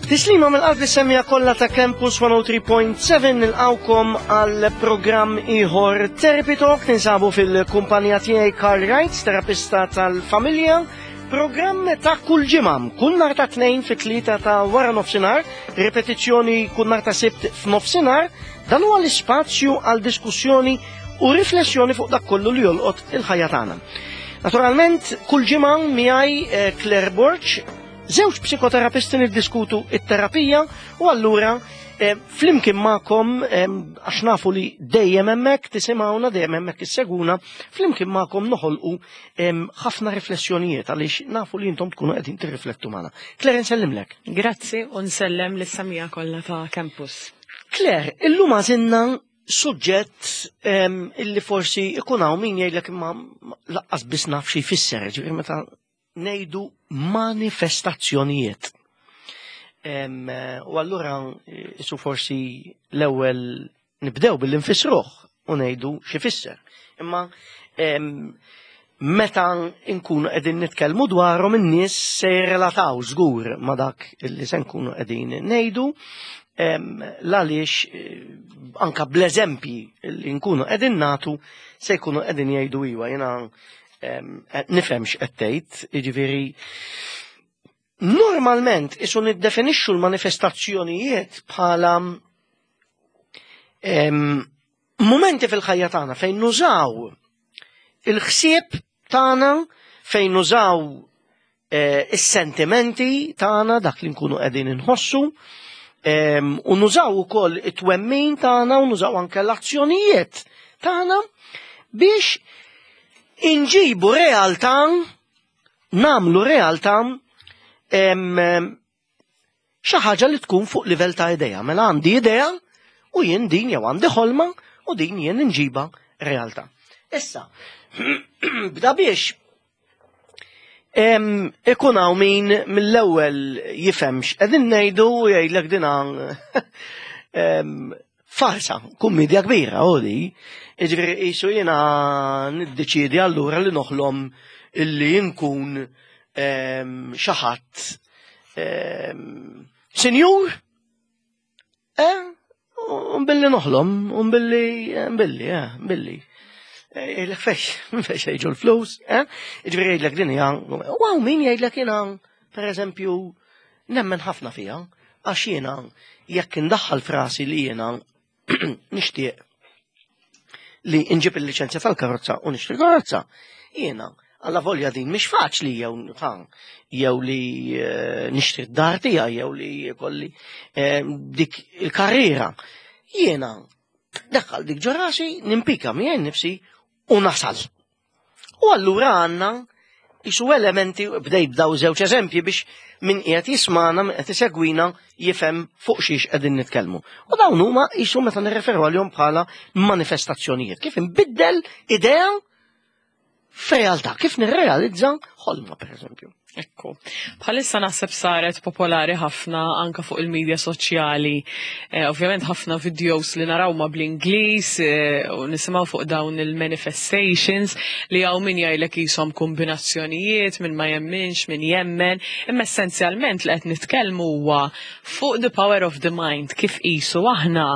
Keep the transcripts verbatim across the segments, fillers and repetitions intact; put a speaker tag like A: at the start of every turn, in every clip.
A: Tislima mill-qalb lis-semmiegħa kollha ta' Campus mija u tlieta punt seba', nilqgħukom għal programm ieħor Therapy Talk. Ninsabu fil-kumpanija tiegħi Carl Wright, terapista tal-familja. Programm ta' kull ġimgħa, kull nhar ta' Tnejn fit-tlieta ta' wara nofsinhar, ripetizzjoni kull nhar ta' Sibt f'nofsinhar. Dan huwa l-ispazju għal diskussjoni u riflessjoni fuq dak kollu li jolqot il-ħajja tagħna. Naturalment, kull ġimgħa miegħi eh, Claire Borg, żewġ psikoterapisti, niddiskutu it-terapija u allura eh, flimkien magħkom, eh, għax nafu li dejjem hemmhekk tisimgħuna, dejjem hemmhekk issegwuna, flimkien magħkom noħolqu eh, ħafna riflessjonijiet għaliex nafu li intom tkunu qegħdin tirriflettu magħna. Claire, nsellimlek.
B: Grazzi u nsellem lis-semmiegħa kollha ta' Campus.
A: Claire, illum għażilna suġġett illi forsi ikun hawn min jgħidlek imma lanqas biss naf xi jfisser, ġifieri meta ngħidu manifestazzjonijiet. U allura isu forsi l-ewwel nibdew billi nfissruh u ngħidu xi fisser. Imma meta nkunu qegħdin nitkellmu dwarhom, in-nies se jirrelataw żgur ma' dak illi se nkunu qegħdin ngħidu, l-għaliex eh, anka bl-eżempji li nkunu qegħdin nagħtu se jkunu qegħdin jgħidu iwa, jiena nifhem x'qed tgħid. Jiġifieri normalment isu niddefinixxu l-manifestazzjonijiet bħala momenti fil-ħajja tagħna fejn nużaw il-ħsieb tagħna, fejn nużaw eh, is-sentimenti tagħna, dak li nkunu qegħdin inħossu, u nużaw ukoll it-twemmin tagħna u nużaw anke l-azzjonijiet tagħna biex inġibu realtà, nagħmlu realtà xi ħaġa li tkun fuq livell ta' idea. Mela għandi idea u jien din, jew għandi ħolma u din jien nġiba realtà. Issa, bda biex ikun hawn min mill-ewwel jifhem x'qegħdin ngħidu u jgħidlek din farsa, kummedja kbira u di. Ġifieri qisu jiena niddeċiedi allura li noħlom illi nkun xi ħadd sinjur, eh, billi noħlom, un billi, billi, eh, billi. Jgħidlek fejn, fejn jiġu l-flus, eh? Ġifieri jgħidlek din hija, u hawn min jgħidlek jiena, per eżempju, nemmen ħafna fija, għax jiena jekk indaħħal f'rasi li jiena nixtieq li nġib il-liċenzja tal-karozza u nixtri karozza, jiena għalla volja din mhix faċli, jew jew li eh, nixtri d-dar tiegħi jew li kolli eh, dik il-karriera. Jiena daħħal dik ġo rasi, nimpika miegħi nifsi u nasal. U allura għandna isu elementi, bdejt daw żewġ eżempji biex min qiegħed jismana, min qed isegwina jifhem fuq xiex qegħdin nitkellmu. U dawn huma isu meta nirreferu għalihom bħala manifestazzjonijiet. Kif inbiddel idea f'realtà, kif nirrealizza ħolma, per eżempju.
B: Ekku. Bħalissa naħseb saret popolari ħafna anka fuq il-medja soċjali. Eh, ovvjament ħafna videos li naraw ma bl-Ingliż eh, u nisimgħu fuq dawn il-manifestations li hawn min jgħidlek qishom kombinazzjonijiet, min ma jemminx, min jemmen, imma essenzjalment li qed nitkellmu huwa fuq the power of the mind, kif qisu aħna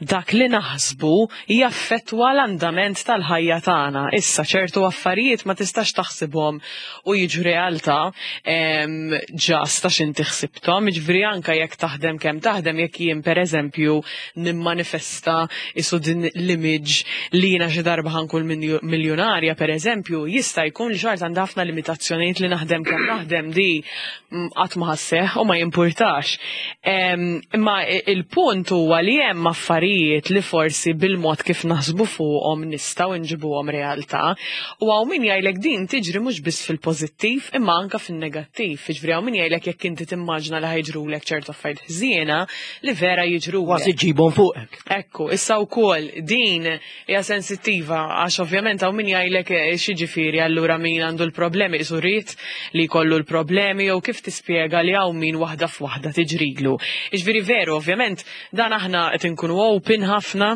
B: dak li naħsbu jaffettwa l-andament tal-ħajja tagħna. Issa ċertu affarijiet ma tistax taħsibhom u jiġu realtà just għax inti ħsibthom, jiġifieri anka jekk taħdem kemm taħdem, jekk jien pereżempju nimmanifesta isu din l-image li jiena xi darba ħa nkun miljonarja pereżempju, jista' jkun li xorta għandha ħafna limitazzjonijiet li naħdem kemm naħdem di mm, qatt ma ħa sseħħ u ma jimpurtax. Imma il-punt huwa li hemm affarijiet li forsi bil-mod kif naħsbu fuqhom nistgħu nġibuhom realtà u hawn min jgħidlek din tiġri mhux biss fil-pożittiv imma anka fin-negattiv. Jiġifieri hawn min jgħidlek jekk inti timmaġna li ħa jiġrulek ċertu affarijiet ħżiena, li vera jiġru.
A: Kważi ġibhom fuqek.
B: Ekku, issa wkoll din hija sensittiva għax ovvjament hawn min jgħidlek eh, x'jiġifieri allura min għandu l-problemi isu rrid li jkollu l-problemi, jew kif tispjega li hawn min waħda f'waħda tiġrilu? Jiġifieri veru, ovvjament dan aħna qed inkunu open ħafna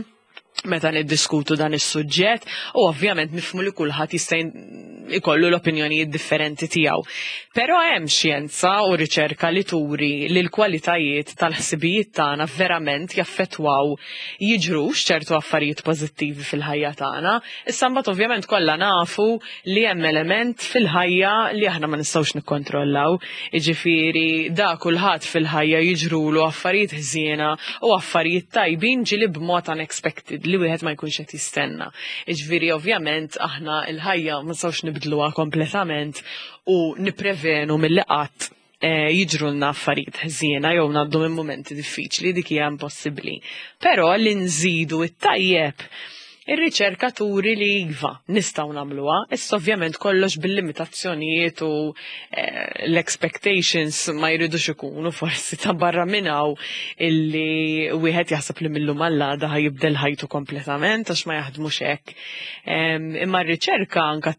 B: meta niddiskutu dan is-suġġett u ovvjament nifhmu li kulħadd jista' ikollu l-opinjonijiet differenti tiegħu. Però hemm xjenza u riċerka li turi li l-kwalitajiet tal-ħsibijiet tagħna verament jaffettwaw jiġrux ċertu affarijiet pożittivi fil-ħajja tagħna. Issa mbagħad ovvjament kollha nafu li hemm element fil-ħajja li aħna ma nistgħux nikkontrollaw. Jiġifieri da kulħadd fil-ħajja jiġrulu affarijiet ħżiena u affarijiet tajbin ġieli b'mod unexpected li wieħed ma jkunx qed jistenna. Jiġifieri ovvjament aħna l-ħajja ma nistgħux nibdluha kompletament u niprevenu milli qatt eh, jiġrulna affarijiet ħżiena jew ngħaddu minn momenti diffiċli, dik hija impossibbli. Però li nżidu it-tajjeb, ir-riċerka turi li iva, nistgħu nagħmluha, issa ovvjament kollox bil-limitazzjonijiet u eh, l-expectations ma jridux ikunu forsi ta' barra minn hawn illi wieħed jaħseb li mil-lum għal għada ħa jibdel ħajtu kompletament, għax ma jaħdmux hekk. Em, Imma r-riċerka anka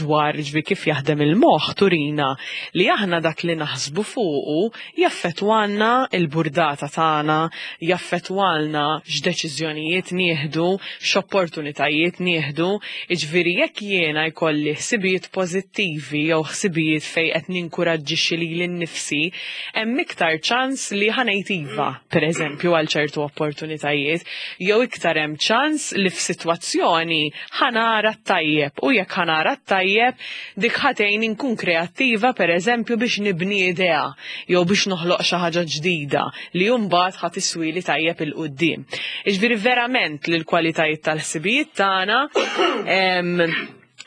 B: dwar ġvi kif jaħdem il-moħħ turina li aħna dak li naħsbu fuqu jaffettwalna il-burdata tagħna, jaffettwalna x'deċiżjonijiet nieħdu, x'opportunitajiet nieħdu, jiġifieri jekk jiena jkolli ħsibijiet pożittivi jew ħsibijiet fejn qed ninkuraġġixxi lili nnifsi, hemm iktar ċans li ħa ngħid iva, pereżempju, għal ċertu opportunitajiet, jew iktar hemm ċans li f'sitwazzjoni ħa nara t-tajjeb, u jekk ħa nara t-tajjeb dik ħa tgħin inkun kreattiva, pereżempju, biex nibni idea jew biex noħloq xi ħaġa ġdida li mbagħad ħa tiswili tajjeb 'il quddiem. Jiġifieri verament li l-kwalitajiet tal-ħsibijiet tagħna em,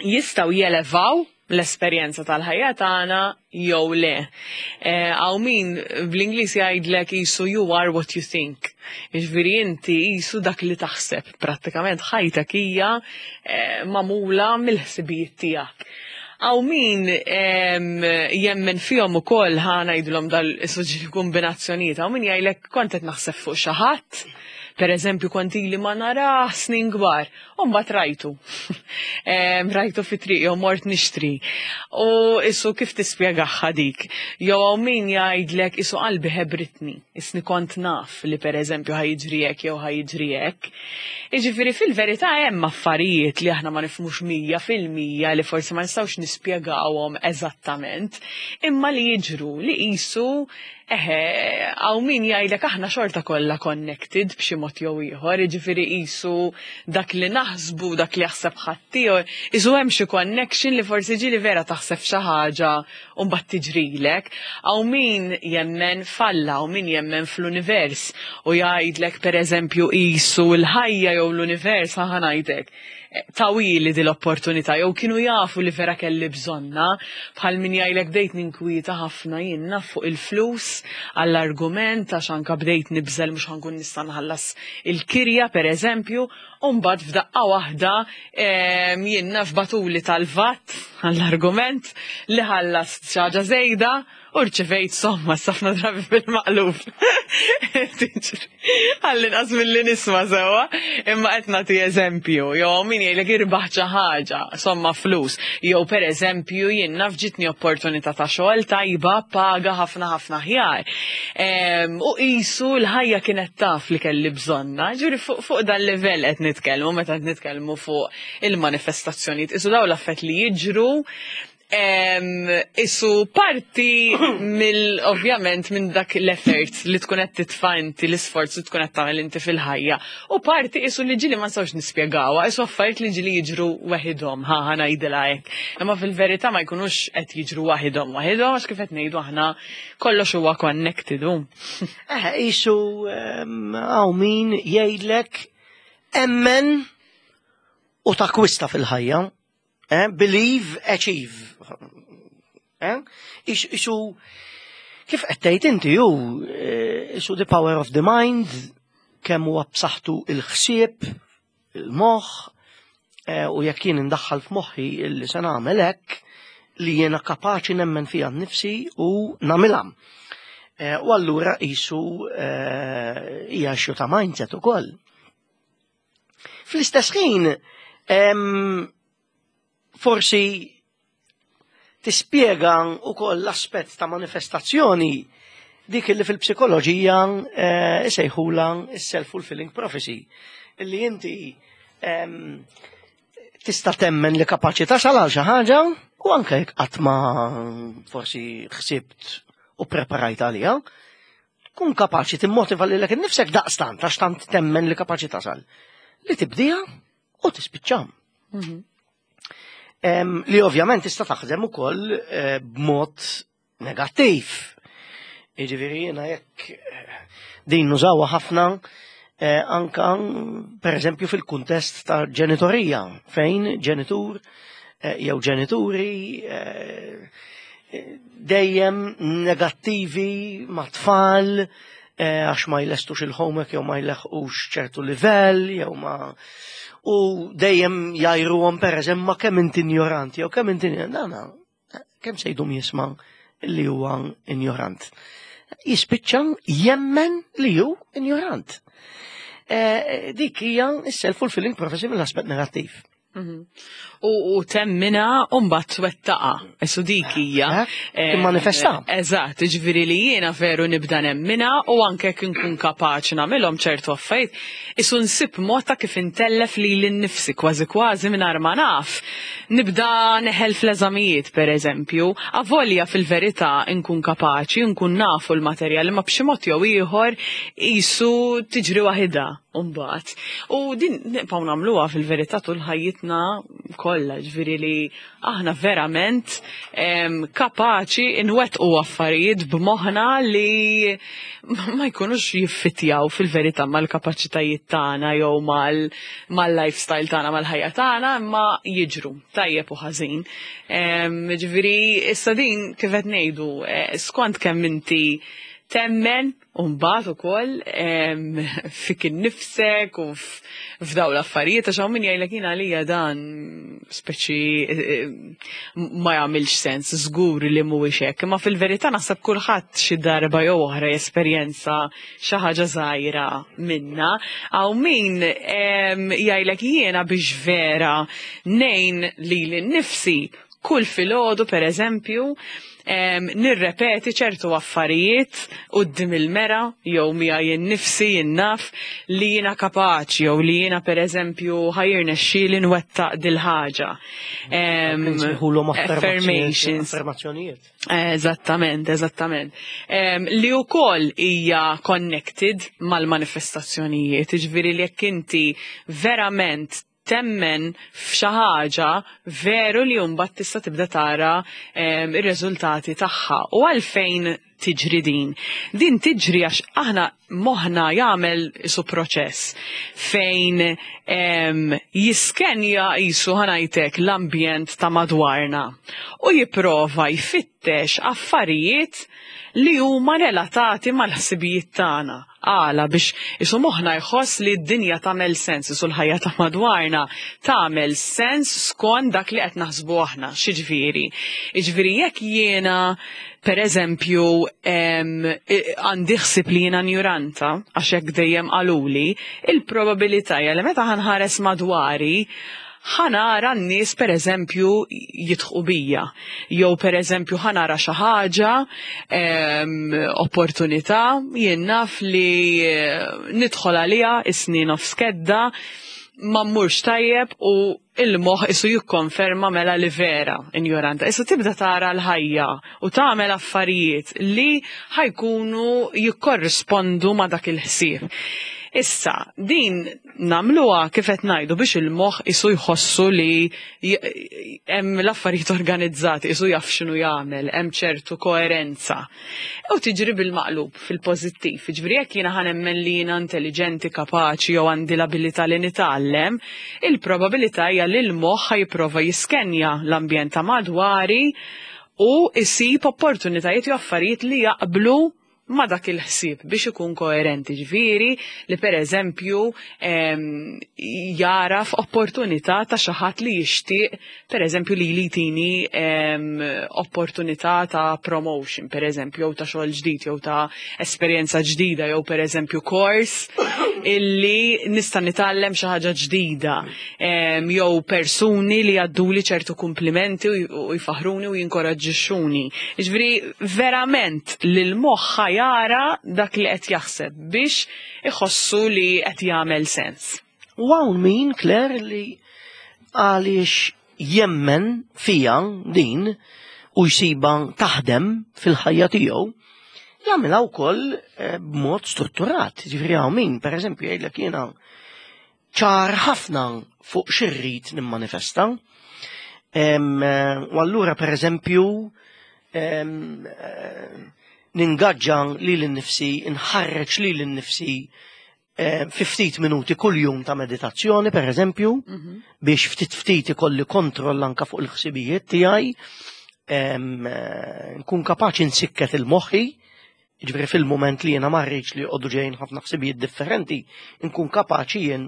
B: jistgħu jelevaw l-esperjenza tal-ħajja tagħna jew le. Hawn min bl-Ingliż jgħidlek qisu "you are what you think". Jiġifieri inti qisu dak li taħseb. Prattikament ħajtek hija eh, magħmula mill-ħsibijiet tiegħek. Hawn min em, jemmen fihom ukoll, ħa ngħidulhom dal-suġġi kombinazzjonijiet, hawn min jgħidlek kont qed naħseb fuq xi ħadd, per eżempju, kont ili ma narah snin kbar, u mbagħad rajtu. Em, Rajtu fi triq jew mort nixtri. U qisu kif tispjegaha dik? Jew hawn min jgħidlek qisu qalbi ħebritni, isni kont naf li per eżempju ħa jiġri hekk jew ħa jiġri hekk. Jiġifieri fil-verità hemm affarijiet li aħna ma nifhmux mija fil-mija, li forsi ma nistgħux nispjegawhom eżattament, imma li jiġru li qisu eħe, hawn min jgħidlek aħna xorta kollha connected b'xi mod jew ieħor, jiġifieri qisu dak li naħsbu, dak li jaħseb ħaddieħor, qisu hemm xi connection li forsi ġieli vera taħseb xi ħaġa u mbagħad tiġrilek. Hawn min jemmen f'Alla, hawn min jemmen fl-univers u jgħidlek, pereżempju, qisu l-ħajja jew l-univers, ħa ngħidlek, tawhieli di l-opportunità jew kienu jafu li vera kelli bżonnha, bħal min jgħidlek bdejt ninkwieta ħafna jiena fuq il-flus għall-argument għax anka bdejt nibża' mhux ħa nkun nista' nħallas il-kirja, per eżempju, u mbagħad f'daqqa waħda em, jiena bagħtuli tal-VAT, għall-argument, li ħallas xi ħaġa żejda u rċevejt somma ħafna drabi bil-maqlub. Għall-inqas milli nisma' sewwa, imma qed nagħti eżempju, jew min jgħidlek irbaħ xi ħaġa, somma flus, jew per eżempju jien naf ġitni opportunità ta' xogħol tajba, paga ħafna ħafna aħjar. Em, U qisu l-ħajja kienet taf li kelli bżonnha, ġuri fuq fuq dan level qed nitkellmu meta qed nitkellmu fuq il-manifestazzjonijiet. Qisu dawn l-affarijiet li jiġru Em, Qisu parti mill ovvjament minn dak l-effort li tkun qed titfa' inti, l-isforz li tkun qed tagħmel inti fil-ħajja. U parti qisu li ġieli ma nistgħux nispjegawha, qisu affarijiet li ġieli jiġru waħidhom, ħa ħa ngħidilha hekk. Imma fil-verità ma jkunux qed jiġru waħidhom waħidhom, għax kif qed ngħidu aħna kollox huwa connected. u.
A: Eh, qisu hawn min jgħidlek emmen u takwista fil-ħajja. Eh, believe, achieve. Eh? Qisu, kif qed tgħid inti ju, eh, qisu the power of the mind, kemm huwa b'saħħtu il-ħsieb, il-moħħ, eh, u jekk jien indaħħal f'moħħi illi se nagħmel hekk, li jiena kapaċi nemmen fija nnifsi u nagħmilha. Eh, U allura qisu eh, hija issue ta' mindset ukoll. Fl-istess ħin, em, forsi tispjega ukoll l-aspett ta' manifestazzjoni dik li fil-psikoloġija eh, isejħula is-self-fulfilling prophecy. Illi inti em, tista' temmen li kapaċi tasal għal xi ħaġa. U anke jekk qatt ma forsi ħsibt u preparajt għalija, tkun kapaċi timmotiva lilek innifsek daqstant, għax tant temmen li kapaċi tasal. Li tibdija u tispiċċa.
B: Mhm.
A: Em, li ovvjament tista' taħdem ukoll eh, b'mod negattiv. Jiġifieri jiena jekk eh, din nużawha ħafna eh, anka per eżempju fil-kuntest ta' ġenitorija, fejn ġenitur eh, jew ġenituri eh, dejjem negattivi ma' tfal eh, għax ma jlestux il-homework jew ma jleħqux ċertu livell jew ma u dejjem jgħajruhom, per eżempju, ma kemm inti ignoranti jew kemm inti dana, kemm se jdum jisma' li huwa ignorant. Jispiċċa jemmen li hu ignorant. Eh, dik hija s-self-fulfilling prophecy mill-aspett negattiv.
B: Mhm. U, u temmina u mbagħad twettaqa. Essu dik hija.
A: Eh, timmanifesta.
B: Eżatt, ġifieri li jiena veru nibda nemmina u anke kien nkun kapaċi nagħmilhom ċertu affarijiet, isu nsib mod ta' kif intellef li l-nifsi kważi kważi mingħajr ma naf. Nibda neħel fl-eżamijiet, per eżempju, avolja fil-verità nkun kapaċi, nkun nafu l-materjal, ma b'xi mod jew ieħor isu tiġri waħidha mbagħad. U din nibqgħu nagħmluha fil-verità tul ħajjitna kollha, ġifieri li aħna verament em, kapaċi nwettqu affarijiet b'moħħna li ma jkunux jiffitjaw fil-verità mal-kapaċitajiet tagħna jew mal- mal-lifestyle tagħna, mal-ħajja tagħna, imma jiġru tajjeb u ħażin. Em, Ġifieri issa din kif qed ngħidu, eh, skont kemm inti temmen u mbagħad ukoll em, fik innifsek u f- f'daw l-affarijiet, għax hawn min jgħidlek, "Jien għalija dan speċi eh, eh, ma jagħmilx sens, żgur li mhuwiex hekk." Imma fil-verità naħseb kulħadd xi darba jew oħra jesperjenza xi ħaġa żgħira minna. Hawn min em, jgħidlek, "Jiena biex vera ngħin lili nnifsi, kull filgħodu, per eżempju, em, nirrepeti ċertu affarijiet quddiem il-mera jew miegħi nnifsi, jien naf li jiena kapaċi jew li jiena, per eżempju, ħa jirnexxieli nwettaq dil-ħaġa." Em,
A: Nsejħulhom
B: affirmations.
A: Affermazzjonijiet.
B: Eżattament, eżattament. Em, li wkoll hija connected mal-manifestazzjonijiet, ġifieri li jekk inti verament temmen f'xi ħaġa, veru li mbagħad tista' tibda tara em, ir-riżultati tagħha. U għalfejn tiġri din? Din tiġri għax aħna moħna jagħmel isu proċess fejn em, jiskenja jisu ħa ngħidlek l-ambjent ta' madwarna u jipprova jfittex affarijiet li huma relatati mal-ħsibijiet tagħna. Għala? Biex isu moħna jħoss li d-dinja tagħmel sens, isu l-ħajja ta' madwarna tagħmel sens skont dak li qed naħsbu aħna, x'jiġifieri? Jiġifieri jekk jiena, per eżempju, em, i- għandi ħsib li jiena njuranta, għax hekk dejjem qaluli, il-probabilità hija li meta ħa nħares madwari, ħa nara n-nies, per eżempju, jidħqu bija. Jew, per eżempju, ħa nara xi ħaġa, em, opportunità, jien naf li eh, nidħol għalija is-snin of skedda, ma mmurx tajjeb u il-moħ isu jikkonferma mela li vera ignoranta. Issa tibda tara l-ħajja u tagħmel affarijiet li ħa jkunu jikkorrispondu ma dak il-ħsieb. Issa, din nagħmluha, kif qed ngħidu, biex il-moħħ isu jħossu li j- hemm l-affarijiet organizzati, isu jaf x'inhu jagħmel, hemm ċertu koerenza. U tiġri bil-maqlub fil-pożittiv. Jiġifieri jekk jiena ħa nemmen li jiena intelligenti, kapaċi jew għandi l-abilità li nitgħallem, il-probabilità hija li l-moħħ ħa jipprova jiskenja l-ambjent ta' madwari u isib opportunitajiet jew affarijiet li jaqblu ma dak il-ħsieb biex ikun koerenti, ġifieri li, per eżempju, em, jaraf opportunità ta' xi ħadd li jixtieq, per eżempju, li li tini em, opportunità ta' promotion, per eżempju, jew ta' xogħol ġdid jew ta' esperjenza ġdida jew, per eżempju, kors illi nista' nitgħallem xi ħaġa ġdida em, jew persuni li jgħadduli ċertu kumplimenti u u jfaħruni u jinkoraġġixxuni. Jiġifieri verament li l-moħħ ħa jara dak li qed jaħseb biex iħossu li qed jagħmel sens.
A: U hawn min, Claire, li għaliex jemmen fija din u jsiba taħdem fil-ħajja tiegħu, jagħmilha wkoll eh, b'mod strutturat. Ġifieri hawn min, pereżempju, jgħidlek jiena ċar ħafna fuq x'irrid nimmanifesta. Eh, u allura pereżempju eh, ningaġġa lili nnifsi, nħarreġ lili nnifsi fi ftit minuti kull-jum ta' meditazzjoni, per eżempju, mhm. biex ftit ftit ikolli kontroll anka fuq il-ħsibijiet tiegħi, nkun kapaċi nsikket il-moħħi, ġifieri fil-moment li jiena ma rridx li joqogħdu ġejjin ħafna ħsibijiet differenti, nkun kapaċi jien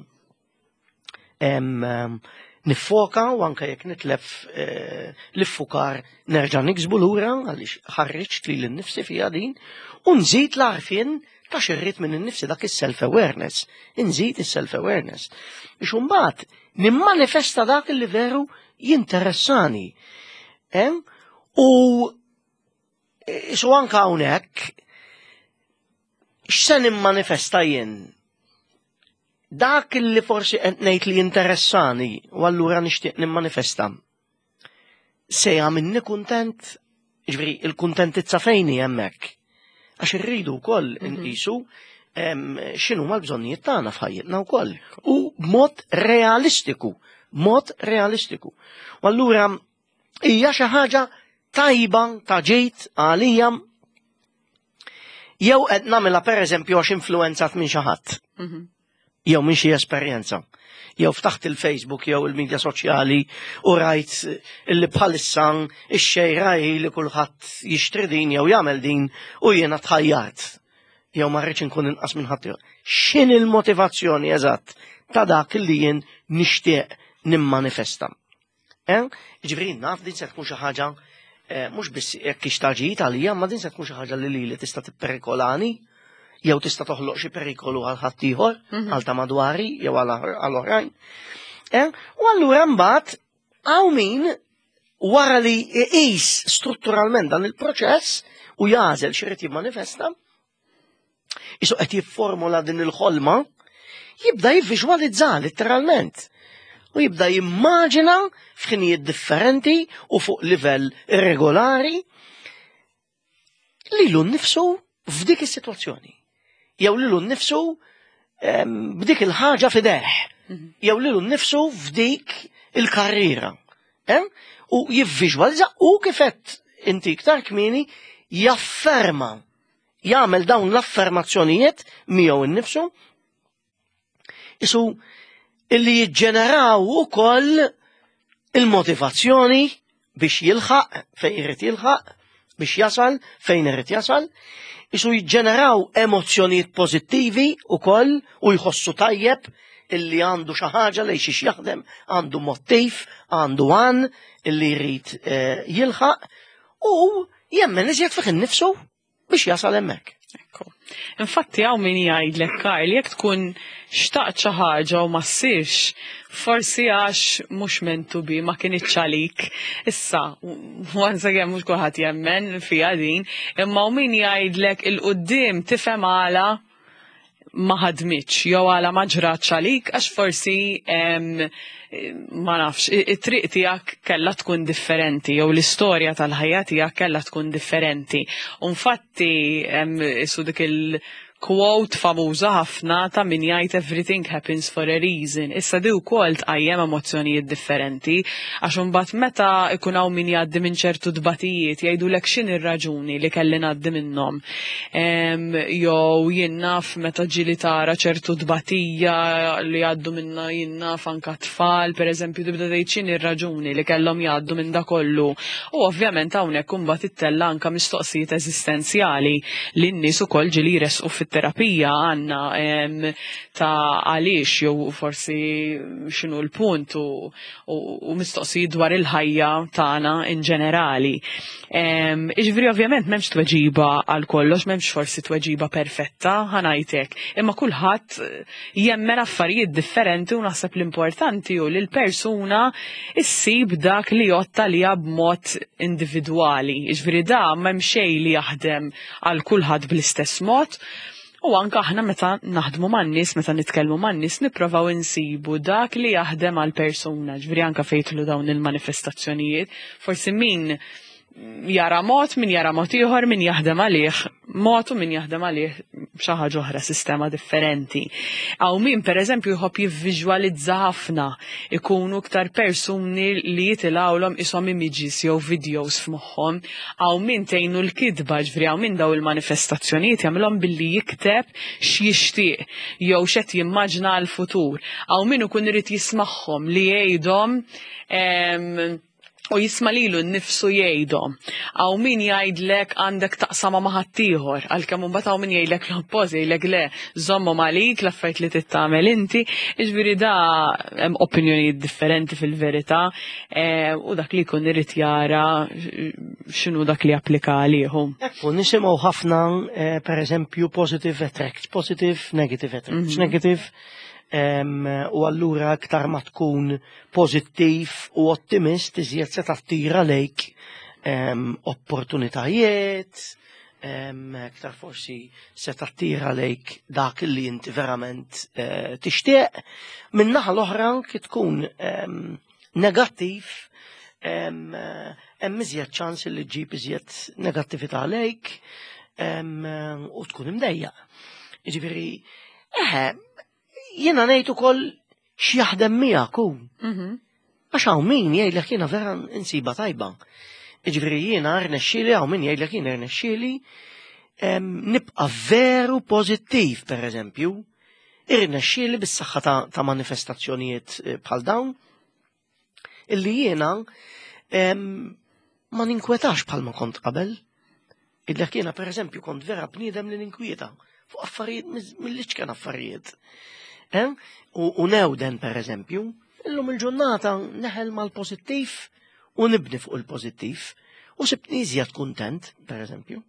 A: niffoka u anke jekk nitlef eh, l-iffukar nerġa' niksbu lura għaliex ħarriġt lili nnifsi fiha din u nżid l-għarfien ta' x'irrid minni nnifsi, dak is-self-awareness. Nżid is-self-awareness. Biex imbagħad nimmanifesta dak li veru jinteressani. U su anka hawnhekk x'se nimmanifesta jien? Dak li forsi qed ngħid li jinteressani u allura nixtieq nimmanifesta. Se jagħmilni kuntent, ġifieri il-kuntentizza fejn hi hemmhekk? Għax irridu wkoll mhm. nqisu x'inhu l-bżonnijiet tagħna f'ħajjitna wkoll. U b'mod realistiku, mod realistiku. U allura hija xi ħaġa tajba ta' ġejt għalija jew qed nagħmilha, pereżempju, għax influenzat minn xi ħadd mhm. jew minn xi esperjenza? Jew ftaħt il-Facebook jew il-medja soċjali u rajt illi bħalissa ix-xejra hi li kulħadd jixtri din jew jagħmel din u jiena tħajjart. Jew ma rridx inkun inqas minn ħadd. X'in il-motivazzjoni eżatt ta' dak li jien nixtieq nimmanifesta? Eh? Ġifieri naf din se tkun xi ħaġa eh, mhux biss jekk hix ta' ġid għalija, ma din se tkun xi ħaġa li lili tista' tipperikolani jew tista' toħloq xi perikolu għal ħaddieħor, mhm. għal ta' madwari jew għal oħrajn. Eh? U allura mbagħad hawn min wara li jqis strutturalment dan il-proċess u jagħżel x'irid jimmanifesta, isu qed jifformula din il-ħolma, jibda jivviżwalizza letteralment. U jibda jimmaġina f'ħinijiet differenti u fuq livell irregolari lilu nnifsu f'dik is-sitwazzjoni. Jew lilu nnifsu b'dik il-ħaġa f'idejh. Mhm. Jew lilu nnifsu f'dik il-karriera. U jivviżwalizza u kif għedt inti iktar kmieni jafferma, jagħmel dawn l-affermazzjonijiet miegħu innifsu isu illi jiġġeneraw ukoll il-motivazzjoni biex jilħaq fejn irid jilħaq, biex jasal fejn irid jasal, isu jiġġeneraw emozzjonijiet pożittivi ukoll u jħossu tajjeb illi għandu xi ħaġa li xiex jaħdem, għandu mottiv, għandu għan illi jrid eh, jilħaq u jemmen iżjed fih innifsu biex jasal hemmhekk.
B: Ekku. Infatti hawn min jgħidlek, Karl, jekk tkun xtaqt xi ħaġa u ma ssirx, forsi għax mhux meant to be, ma kinitx għalik. Issa, once again, mhux kulħadd jemmen fiha din, imma hawn min jgħidlek 'il quddiem tifhem għala ma ħadmitx jew għala ma ġratx għalik, għax forsi ma nafx, it-triq tiegħek kellha tkun differenti jew l-istorja tal-ħajja tiegħek kellha tkun differenti. U infatti isu dik il- quote famuża ħafna ta' min jgħid "Everything happens for a reason." Issa di wkoll tqajjem emozzjonijiet differenti għax imbagħad meta ikun hawn min jgħaddi minn ċertu tbatijiet jgħidulek x'in ir-raġuni li kelli ngħaddi minnhom. Jew jien naf meta ġieli tara ċertu tbatija li jgħaddu minna, jien naf, anka tfal, pereżempju, tibda tgħid x'in ir-raġuni li kellhom jgħaddu minn da kollu. U ovvjament hawnhekk imbagħad ittella' anka mistoqsijiet eżistenzjali li n-nies ukoll ġieli jressqu fit-terapija għandna ta' għaliex jew forsi x'inhu l-punt u, u, u mistoqsijiet dwar il-ħajja tagħna in ġenerali. Iġifieri ovvjament m'hemmx tweġiba għal kollox, m'hemmx forsi tweġiba perfetta, ħa ngħidlek, imma kulħadd jemmen affarijiet differenti u naħseb l-importanti hu li l-persuna issib dak li jotta li b'mod individwali. Iġifieri da m'hemm xejn li jaħdem għal kulħadd bl-istess mod. U anka aħna meta naħdmu man-nies, meta nitkellmu man-nies, nipprovaw insibu dak li jaħdem għal persuna, ġifieri anka fejn jidħlu dawn il-manifestazzjonijiet, forsi min jara mod, min jara mod ieħor, min jaħdem għalih mod u min jaħdem għalih xi ħaġa oħra, sistema differenti. Hawn min pereżempju jħobb jivviżwalizza ħafna, ikunu iktar persuni li jitilgħulhom ishom images jew videos f'moħħhom. Hawn min tgħinu l-kitba, ġifieri hawn min daw il-manifestazzjonijiet jagħmilhom billi jikteb x'jixtieq jew x'qed jimmaġna għall-futur. Hawn min ikun irid jismagħhom li jgħidhom u jisma' lilu nnifsu jgħidhom. Hawn min jgħidlek għandek taqsama ma' ħaddieħor, għalkemm imbagħad hawn min jgħidlek l-oppost, jgħidlek le, żommhom għalik l-affarijiet li tittamel inti, jiġifieri da hemm opinjonijiet differenti fil-verità, eh, u dak li jkun irid jara x'inhu dak li applika għalihom.
A: Ekku, nisimgħu ħafna eh, per eżempju positive attracts, positive, negative attracts, mhm. negative u allura aktar ma tkun pozittiv u ottimist iżjed se tattira lejk opportunitajiet, aktar forsi se tattira lejk dak li inti verament eh, tixtieq. Min-naħa l-oħra kif tkun negattiv, hemm iżjed ċans li ġġib iżjed negattività lejk u tkun imdejjaq. Jiġifieri, eħe, jiena ngħid ukoll x'jaħdem miegħek hu. Mhm. Għax hawn min jgħidlek jiena vera insiba tajba. Jiġifieri jiena rnexxieli, hawn min jgħidlek jiena rnexxieli nibqa' veru pożittiv, pereżempju, irnexxieli bis-saħħa ta', ta manifestazzjonijiet eh, bħal dawn illi jiena ma ninkwetax bħalma kont qabel. Illek jiena pereżempju kont vera bniedem li ninkwieta fuq affarijiet mill-iċken affarijiet. Eh? U, u newden per eżempju, illum il-ġurnata neħel mal-pozittiv u nibni fuq il-pozittiv u sibtni iżjed kuntent, per eżempju.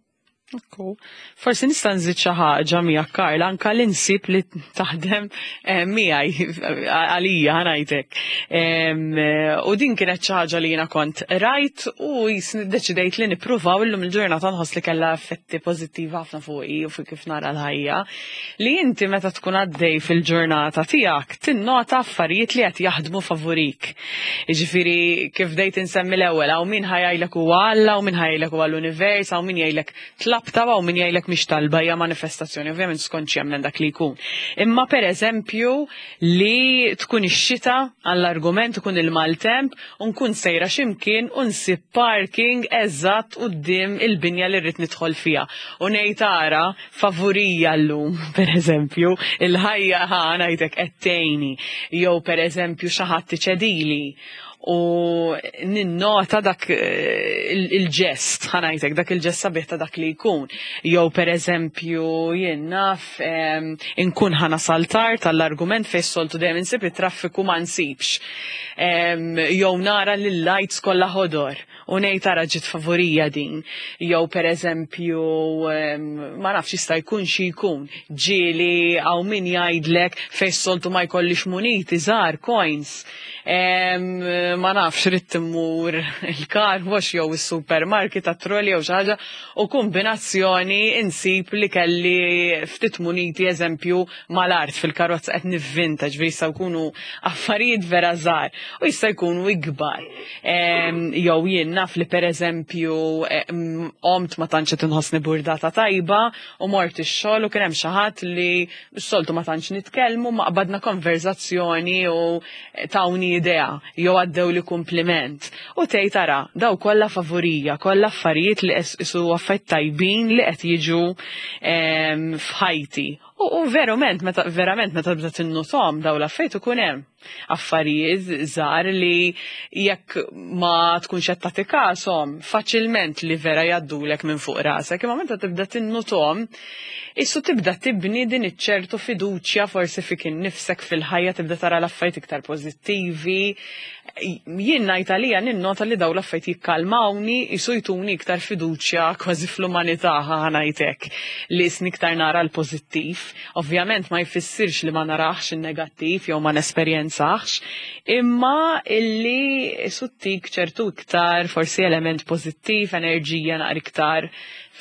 B: Ekku. Forsi nista' nżid xi ħaġa miegħek, Karl, anka li nsib li taħdem eh, miegħi għalija, ħa ngħidlek. Em, eh, U din kienet xi ħaġa li jiena kont rajt u jisni deċidejt li nippruvaw, illum il-ġurnata nħoss li kellha effetti pożittivi ħafna fuqi u fuq kif nara l-ħajja. Li inti meta tkun għaddej fil-ġurnata tiegħek tinnota affarijiet li qed jaħdmu favorik. Jiġifieri kif bdejt insemmi l-ewwel, hawn min ħa jgħidlek huwa Alla, hawn min ħa jgħidlek huwa l-univers, hawn min jgħidlek tlabta, hawn min jgħidlek mhix talba, hija manifestazzjoni, ovvjament skont x'jemmen dak li jkun. Imma per eżempju li tkun ix-xita, għall-argument ikun il-maltemp, u nkun sejra x'imkien u nsib parking eżatt quddiem il-binja li rrid nidħol fiha. U ngħid ara favorija llum, per eżempju, il-ħajja, ħa ngħidlek, qed tgħinni. Jew per eżempju xi ħadd iċedili u ninnota dak eh, il- il-ġest, ħa ngħidlek, dak il-ġest sabiħ ta' dak li jkun. Jew per eżempju, jien naf, em, inkun ħa nasal tard tal-argument fejn soltu dejjem insib it-traffiku ma nsibx. Em, Jew nara li l-lights kollha ħodor u ngħid tara ġiet favorija din. Jew per eżempju, em, ma nafx, jista' jkun xi jkun. Ġieli hawn min jgħidlek fejn soltu ma jkollix muniti żgħar, coins. Em, ma nafx, ridt immur il-car wash jew is-supermarket għat-trolley jew xi ħaġa u kombinazzjoni insib li kelli ftit muniti eżempju mal-art fil-karozza, qed nivvinta, ġifieri jistgħu jkunu affarijiet vera żgħar u jista' jkunu ikbar. Em, Jew jien naf li per eżempju em, qomt ma tantx qed inħossni burdata tajba u mort ix-xogħol u kien hemm xi ħadd li s-soltu ma tantx nitkellmu, ma qbadna konverzazzjoni u tawni idea jew għaddew li kompliment. U tgħid tara daw kollha favorija, kollha affarijiet li isu affarijiet tajbin li qed jiġu em, f'ħajti. U, u verament, meta, verament meta tibda tinnotom daw l-affarijiet ikun hemm affarijiet żgħar li jekk ma tkunx qed tagħti kashom faċilment li vera jgħaddulek minn fuq rasek, imma meta tibda tinnotom issu tibda tibni din iċ-ċertu fiduċja forsi fik innifsek, fil-ħajja, tibda tara l-affarijiet iktar pożittivi. Jien ngħid għalija ninnota li daw l-affarijiet jikkalmawni, jisu jtuni iktar fiduċja kważi fl-umanità, ħa ngħidlek, li isni iktar nara l-pożittiv. Ovvjament ma jfissirx li ma narax in-negattiv jew ma nesperjenzax, imma illi suttik ċertu iktar forsi element pożittiv, enerġija naqra iktar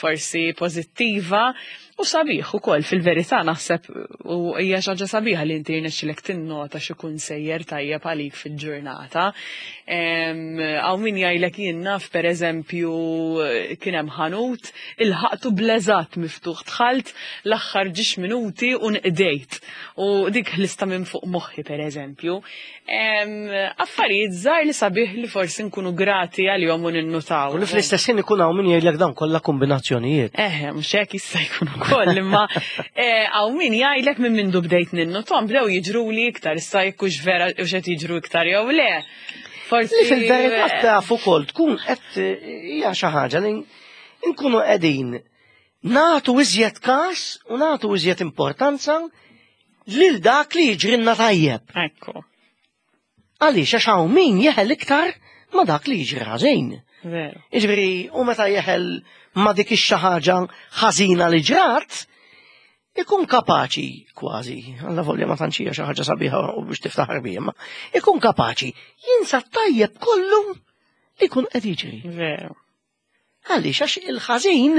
B: forsi pożittiva. U sabiħ ukoll fil-verità naħseb u hija xi ħaġa sabiħa li inti jirnexxilek tinnota x'ikun sejjer tajjeb għalik fil-ġurnata. Hawn min jgħidlek jien naf, pereżempju, kien hemm ħanut ilħaqtu bl-eżatt miftuħ, dħalt l-aħħar ġiex minuti u nqdejt. U dik lista minn fuq moħħi, pereżempju. Affarijiet żgħar li sabiħ li forsi nkunu grati għalihom u ninnutaw.
A: U li fl-istess ħin ikun hawn min jgħidlek dawn kollha kombinazzjonijiet.
B: Eħe, mhux hekk, jista' jkun ukoll, imma hawn min jgħidlek minn mindu bdejt ninnotom bdew jiġru li iktar, issa jekk hux vera u x'qed jiġru iktar jew le.
A: Forsi li fil-verità taf ukoll tkun qed hija xi ħaġa li nkunu qegħdin nagħtu iżjed każ u nagħtu iżjed importanza lil dak li jiġrilna tajjeb.
B: Ekku.
A: Għaliex? Għax hawn min jeħel iktar ma dak li jiġri ħażin.
B: Veru.
A: Jiġifieri, u meta jeħel ma dik ix ħaġa ħażina li ġrat, ikun kapaċi kważi, alla volja ma tantx hija xi ħaġa sabiħa u biex tiftaħar biha, ma ikun kapaċi jinsa tajjeb kollu li jkun qed jiġri.
B: Veru.
A: Għaliex? Għax il-ħażin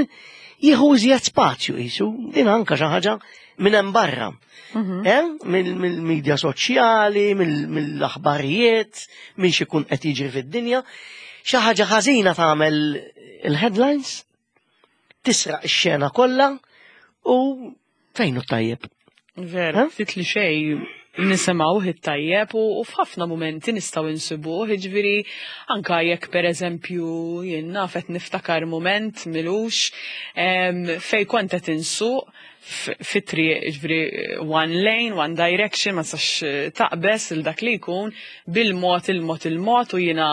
A: jieħu iżjed spazju jisu, din anka xi ħaġa minn hemm barra.
B: Mhm.
A: Eh? Mill-medja soċjali, mill-aħbarijiet, minn xi jkun qed jiġri fid-dinja. Xi ħaġa ħażina tagħmel il-headlines, tisraq ix-xena kollha u fejn hu tajjeb?
B: Veru,
A: Eh?
B: ftit li xej nisimgħu it-tajjeb u u f'ħafna momenti nistgħu insibuh, jiġifieri anka jekk, pereżempju, jien naf, qed niftakar moment m'ilux em, fej kont qed insuq f- fit-triq, jiġifieri one lane, one direction, ma tistax eh, taqbes il dak li jkun bil-mod il-mod il-mod u jiena,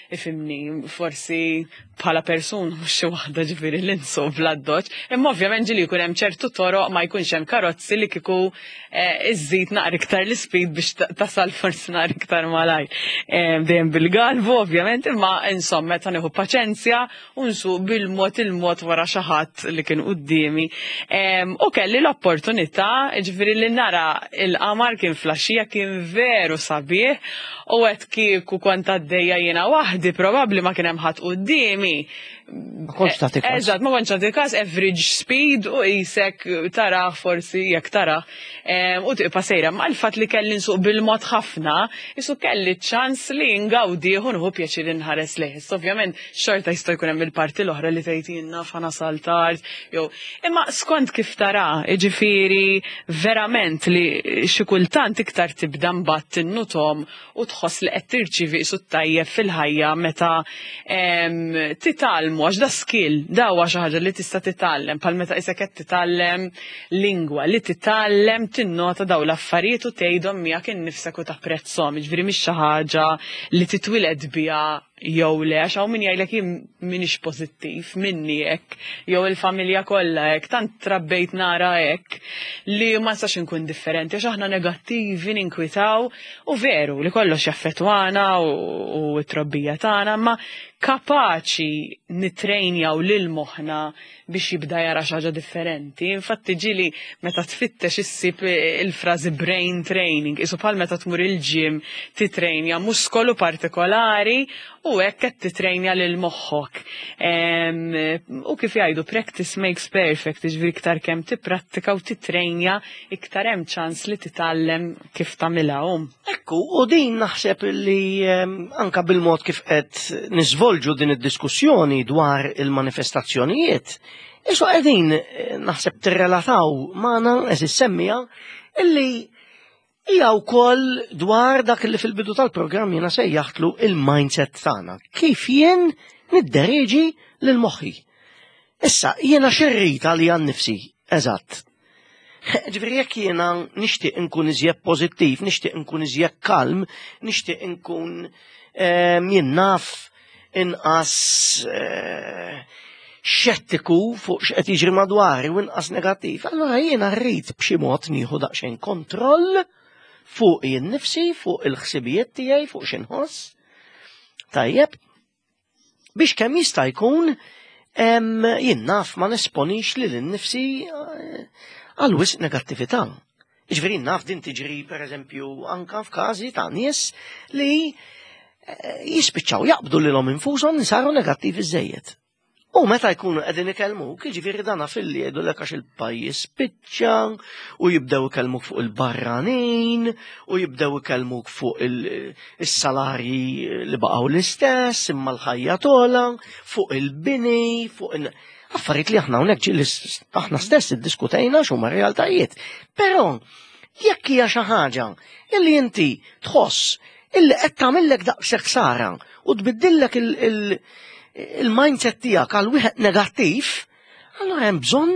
B: ifhimni, forsi bħala persuna mhux xi waħda ġifieri li nsuq bl-addoċ, imma ovvjament ġieli jkun hemm ċertu toroq ma jkunx hemm karozzi li kieku eh, iżżid naqra iktar l-speed biex ta- tasal forsi naqra iktar malajr. Eh, Dejjem bil-galbu ovvjament, imma insomma meta nieħu paċenzja u nsuq bil-mod il-mod wara xi ħadd li kien quddiemi. Em, U kelli l-opportunità, ġifieri, li nara il-qamar, kien flaxija, kien veru sabiħ u għedt kieku kont għaddejja jiena waħdi, probabbli ma kien hemm ħadd quddiemi.
A: Ma kontx tagħti każ.
B: Eżatt, ma kontx tagħti każ, average speed u qisek tara forsi jekk tara em, u tibqa' sejra. Ma l-fatt li kelli nsuq bil-mod ħafna, isu kelli ċans li ngawdi u nieħu pjaċir inħares lejh. Issa ovvjament xorta jista' jkun hemm il-parti l-oħra li tgħid jien naf ħa nasal tard jew, imma skont kif tara, jiġifieri verament li xi kultant iktar tibda mbagħad tinnutom u tħoss li qed tirċivi qisu tajjeb fil-ħajja meta em, titgħallmu, għax da skill, da huwa xi ħaġa li tista' titgħallem, bħal meta qisek qed titgħallem lingwa, li titgħallem tinnota daw l-affarijiet u tgħidhom miegħek innifsek u tapprezzhom, jiġifieri mhix xi ħaġa li titwiled biha jew le, għax hawn min jgħidlek jien m'iniex pożittiv, minni hekk, jew il-familja kollha hekk, tant trabbejt nara hekk li ma nistax inkun differenti, għax aħna negattivi, ninkwitaw, u veru li kollox jaffettwana u, u t-trobbija tagħna, ma kapaċi nitrejnjaw lil moħħna biex jibda jara xi ħaġa differenti. Infatti ġieli meta tfittex issib il-frażi brain training, isu bħal meta tmur il-gym titrejnja muskolu partikolari u hekk qed titrejnja lil moħħok. Em, U kif jgħidu, practice makes perfect, jiġifieri iktar kemm tipprattika u titrejnja, iktar hemm ċans li titgħallem kif tagħmilha um.
A: Ekku, u din naħseb li em, anka bil-mod kif qed niżvolġu din id-diskussjoni dwar il-manifestazzjonijiet, isu qegħdin eh, naħseb tirrelataw magħna, eżis semmija, illi hija wkoll dwar dak li fil-bidu tal-programm jiena sejjaħtlu il-mindset tagħna. Kif jien niddereġi lil moħħi. Issa, jiena x'irrid għalija nnifsi, eżatt. Ġifieri jekk jiena nixtieq inkun iżjed pożittiv, nixtieq inkun iżjed kalm, nixtieq inkun ehm, jien naf inqas eh, xettiku fuq x'qed jiġri madwari u inqas negattiv, allura jiena rrid b'xi mod nieħu daqsxejn kontroll fuq jien nifsi, fuq il-ħsibijiet tiegħi, fuq x'inħoss. Tajjeb, biex kemm jista' jkun em, jien naf ma nesponix lil innifsi eh, għal wisq negattività. Ġifieri naf din tiġri, per eżempju, anka f'każi ta' nies li eh, jispiċċaw jaqbdu lilhom infushom, saru negattivi żejjed. U meta jkunu qegħdin ikellmuk, jiġifieri dana filli jgħidulek għax il-pajjiż spiċċa, u jibdew ikellmuk fuq il-barranin, u jibdew ikellmuk fuq il-salarji li baqgħu l-istess, imma l-ħajja tola, fuq il-bini, fuq il- affarijiet li aħna hawnhekk ġieli aħna stess iddiskutejna x'huma realtajiet. Però jekk hija xi ħaġa illi inti tħoss illi qed tagħmellek daqshekk ħsara u tbiddillek il-mindset tiegħek għal wieħed negattiv, allura hemm bżonn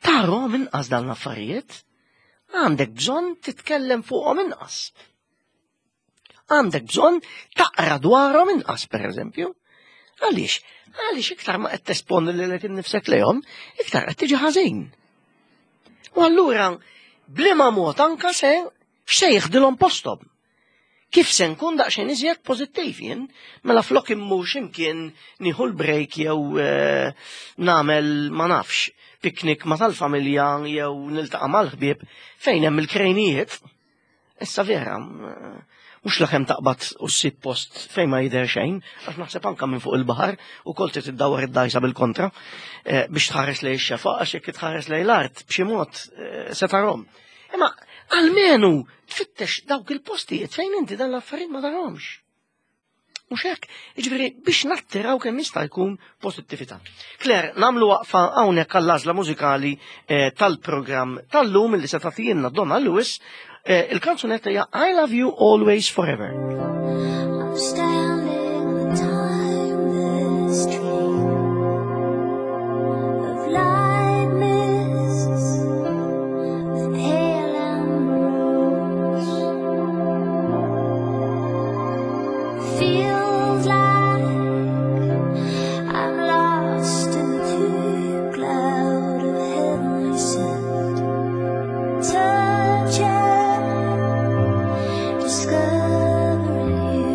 A: tarahom inqas dawn l-affarijiet. Għandek bżonn titkellem fuqhom inqas. Għandek bżonn taqra dwarhom inqas, per eżempju. Għaliex? Għaliex iktar ma qed tesponi lilek innifsek lejhom, iktar qed tiġi ħażin. U allura, bliema mod anka se x'se jiħdilhom posthom. Kif se nkun daqsxejn iżjed pożittiv jien, mela flok immur x'imkien nieħu l-break jew eh, nagħmel ma nafx piknik ma tal-familja jew niltaqa' mal-ħbieb fejn hemm il-krejnijiet. Issa vera, mhux lakemm taqbad u ssib post fejn ma jidher xejn, għax naħseb anka minn fuq il-baħar u kol trid iddawwar id-dajsa bil-kontra eh, biex tħares lejn ix-xefaq għax jekk tħares lejn l-art b'xi mod eh, se tarhom. Imma almenu tfittex dawk il-postijiet fejn inti dan l-affarijiet ma tarhomx. Mhux hekk, jiġifieri biex nattiraw kemm jista' jkun pożittività. Claire, nagħmlu waqfa hawnhekk għall-għażla mużikali eh, tal-programm tal-lum li se tagħtina Donna Lewis, eh, il-kanzunetta hija I Love You Always Forever.
C: I'm standing on a timeless tree of light mists with pale amber rose. Feels like I'm lost in the deep cloud of heavenly scent. Touching, discovering you.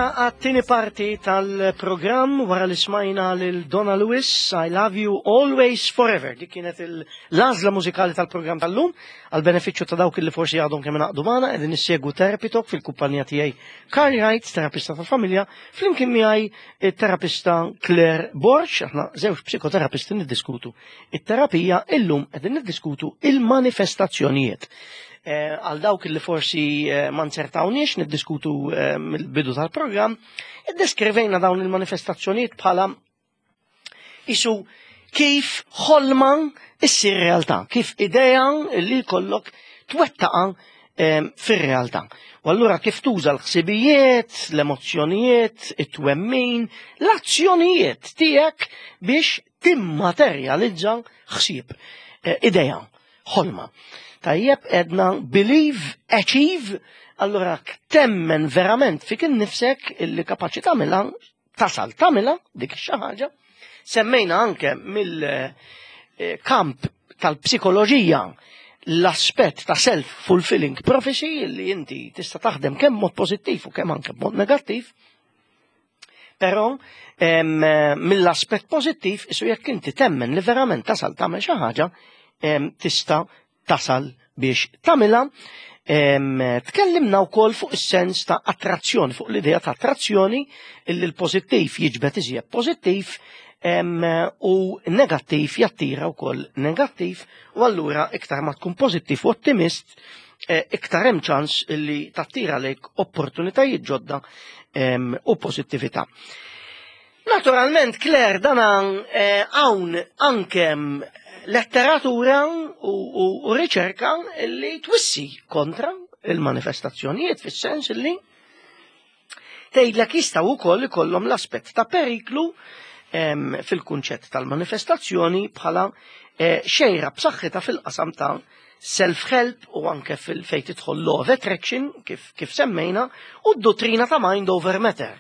A: Lura għat-tieni parti tal-programm wara li smajna lil Donna Lewis, "I Love You Always Forever". Dik kienet l-għażla mużikali tal-programm tal-lum. Għal benefiċċju ta' dawk li forsi għadhom kemm ingħaqdu magħna, qegħdin issegwu Therapy Talk fil-kumpanija tiegħi Carl Wright, terapista tal-familja, flimkien miegħi terapista Claire Borg. Aħna żewġ psikoterapisti niddiskutu it-terapija. Illum qegħdin niddiskutu il-manifestazzjonijiet. Eh, għal dawk li forsi eh, ma nzertawniex niddiskutu eh, mill-bidu tal-programm, iddeskrivejna dawn il-manifestazzjonijiet bħala isu kif ħolma issir realtà, kif idea li jkollok twettaqa fir-realtà. U allura kif tuża l-ħsibijiet, l-emozzjonijiet, it-twemmin, l-azzjonijiet tiegħek biex timmaterjalizza ħsieb, idea, ħolma. Tajjeb, għedna believe, achieve. Allora temmen verament fik innifsek illi kapaċi tagħmilha, tasal tagħmilha dik xi ħaġa. Semmejna anke mill-kamp tal-psikoloġija l-aspett ta' self-fulfilling prophecy, li inti tista' taħdem kemm mod pożittiv u kemm anke mod negattiv. Però mill-aspett pożittiv, isu jekk inti temmen li verament tasal tagħmel xi ħaġa, tista' tasal biex tagħmilha. Tkellimna wkoll fuq is-sens ta' attrazzjoni, fuq l-idea ta' attrazzjoni, illi l-pożittiv jiġbed iżjed pożittiv u negattiv jattira wkoll negattiv, u allura iktar ma tkun pożittiv u ottimist, eh, iktar hemm ċans illi tattira lejk opportunitajiet ġodda u pożittività. Naturalment, Claire, dana eh, hawn anke letteratura u, u, u riċerka li twissi kontra il-manifestazzjonijiet, fis-sens li tgħidlek jistgħu wkoll ikollhom l-aspett ta' periklu em, fil-kunċett tal-manifestazzjoni bħala eh, xejra b'saħħitha fil-qasam ta' self-help u anke fil-fejn tidħol law of attraction, kif, kif semmejna, u d-dottrina ta' mind over matter,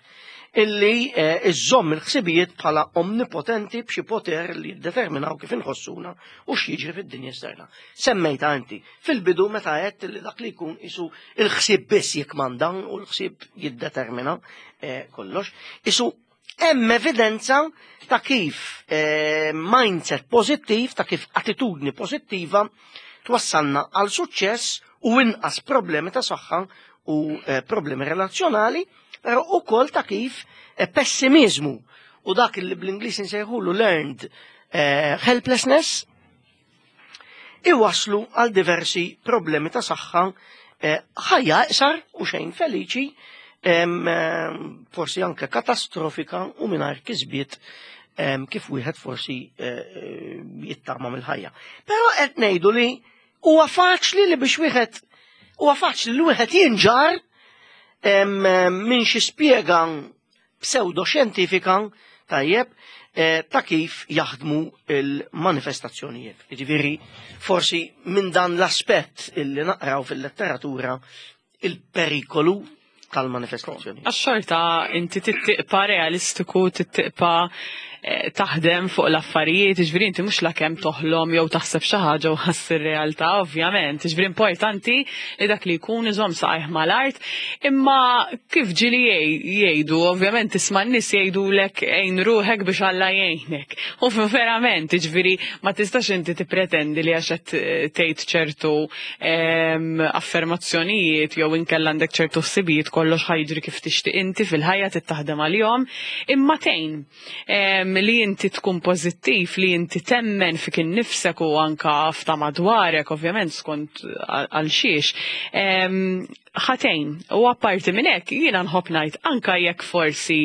A: illi eh, iżżomm il-ħsibijiet bħala omnipotenti b'xi poter li jiddeterminaw kif inħossuna u x'jiġri fid-dinja esterna. Semmejta inti fil-bidu meta għedt li dak li jkun isu il-ħsieb biss jikmanda u l-ħsieb jiddetermina eh, kollox. Isu hemm evidenza ta' kif eh, mindset pożittiv, ta' kif attitudni pożittiva twassalna għal suċċess u inqas problemi ta' saħħa u eh, problemi relazzjonali, però ukoll ta' kif eh, pessimizmu u dak li bl-Ingliż insejħulu learned eh, helplessness iwaslu għal diversi problemi ta' saħħa, eh, ħajja iqsar u xejn feliċi, em, em, forsi anke katastrofika u mingħajr kisbiet em, kif wieħed forsi eh, eh, jittama mill-ħajja. Però qed ngħidu li huwa faċli li biex wieħed huwa faċli li wieħed jinġar em, em, minn xi spjega pseudoxjentifika, tajjeb, eh, ta' kif jaħdmu il-manifestazzjonijiet. Jiġifieri forsi minn dan l-aspett illi naqraw fil-letteratura il-perikolu tal-manifestazzjoni.
B: Għax-xorta inti tibqa' realistiku, tibqa' eh, taħdem fuq l-affarijiet, ġifieri inti mhux lakemm toħlom jew taħseb xi ħaġa u ħass ir-realtà, ovvjament. Ġifieri importanti li dak li jkun iżomm saqajh mal-art, imma kif ġieli jgħidu, ovvjament tisma' n-nies jgħidulek "għin ruħek biex Alla jgħinek". U verament, ġifieri ma tistax inti tippretendi li għax qed tgħid ċertu em, affermazzjonijiet jew inkella għandek ċertu ħsibijiet kollox ħa jiġri kif tixtieq inti. Fil-ħajja tittaħdem għalihom, imma tgħin em, li inti tkun pożittiv, li inti temmen fik innifsek u anka f'ta' madwarek, ovvjament skont għal xiex. Em, ħa tgħin, u apparti minn hekk jiena nħobb ngħid, anka jekk forsi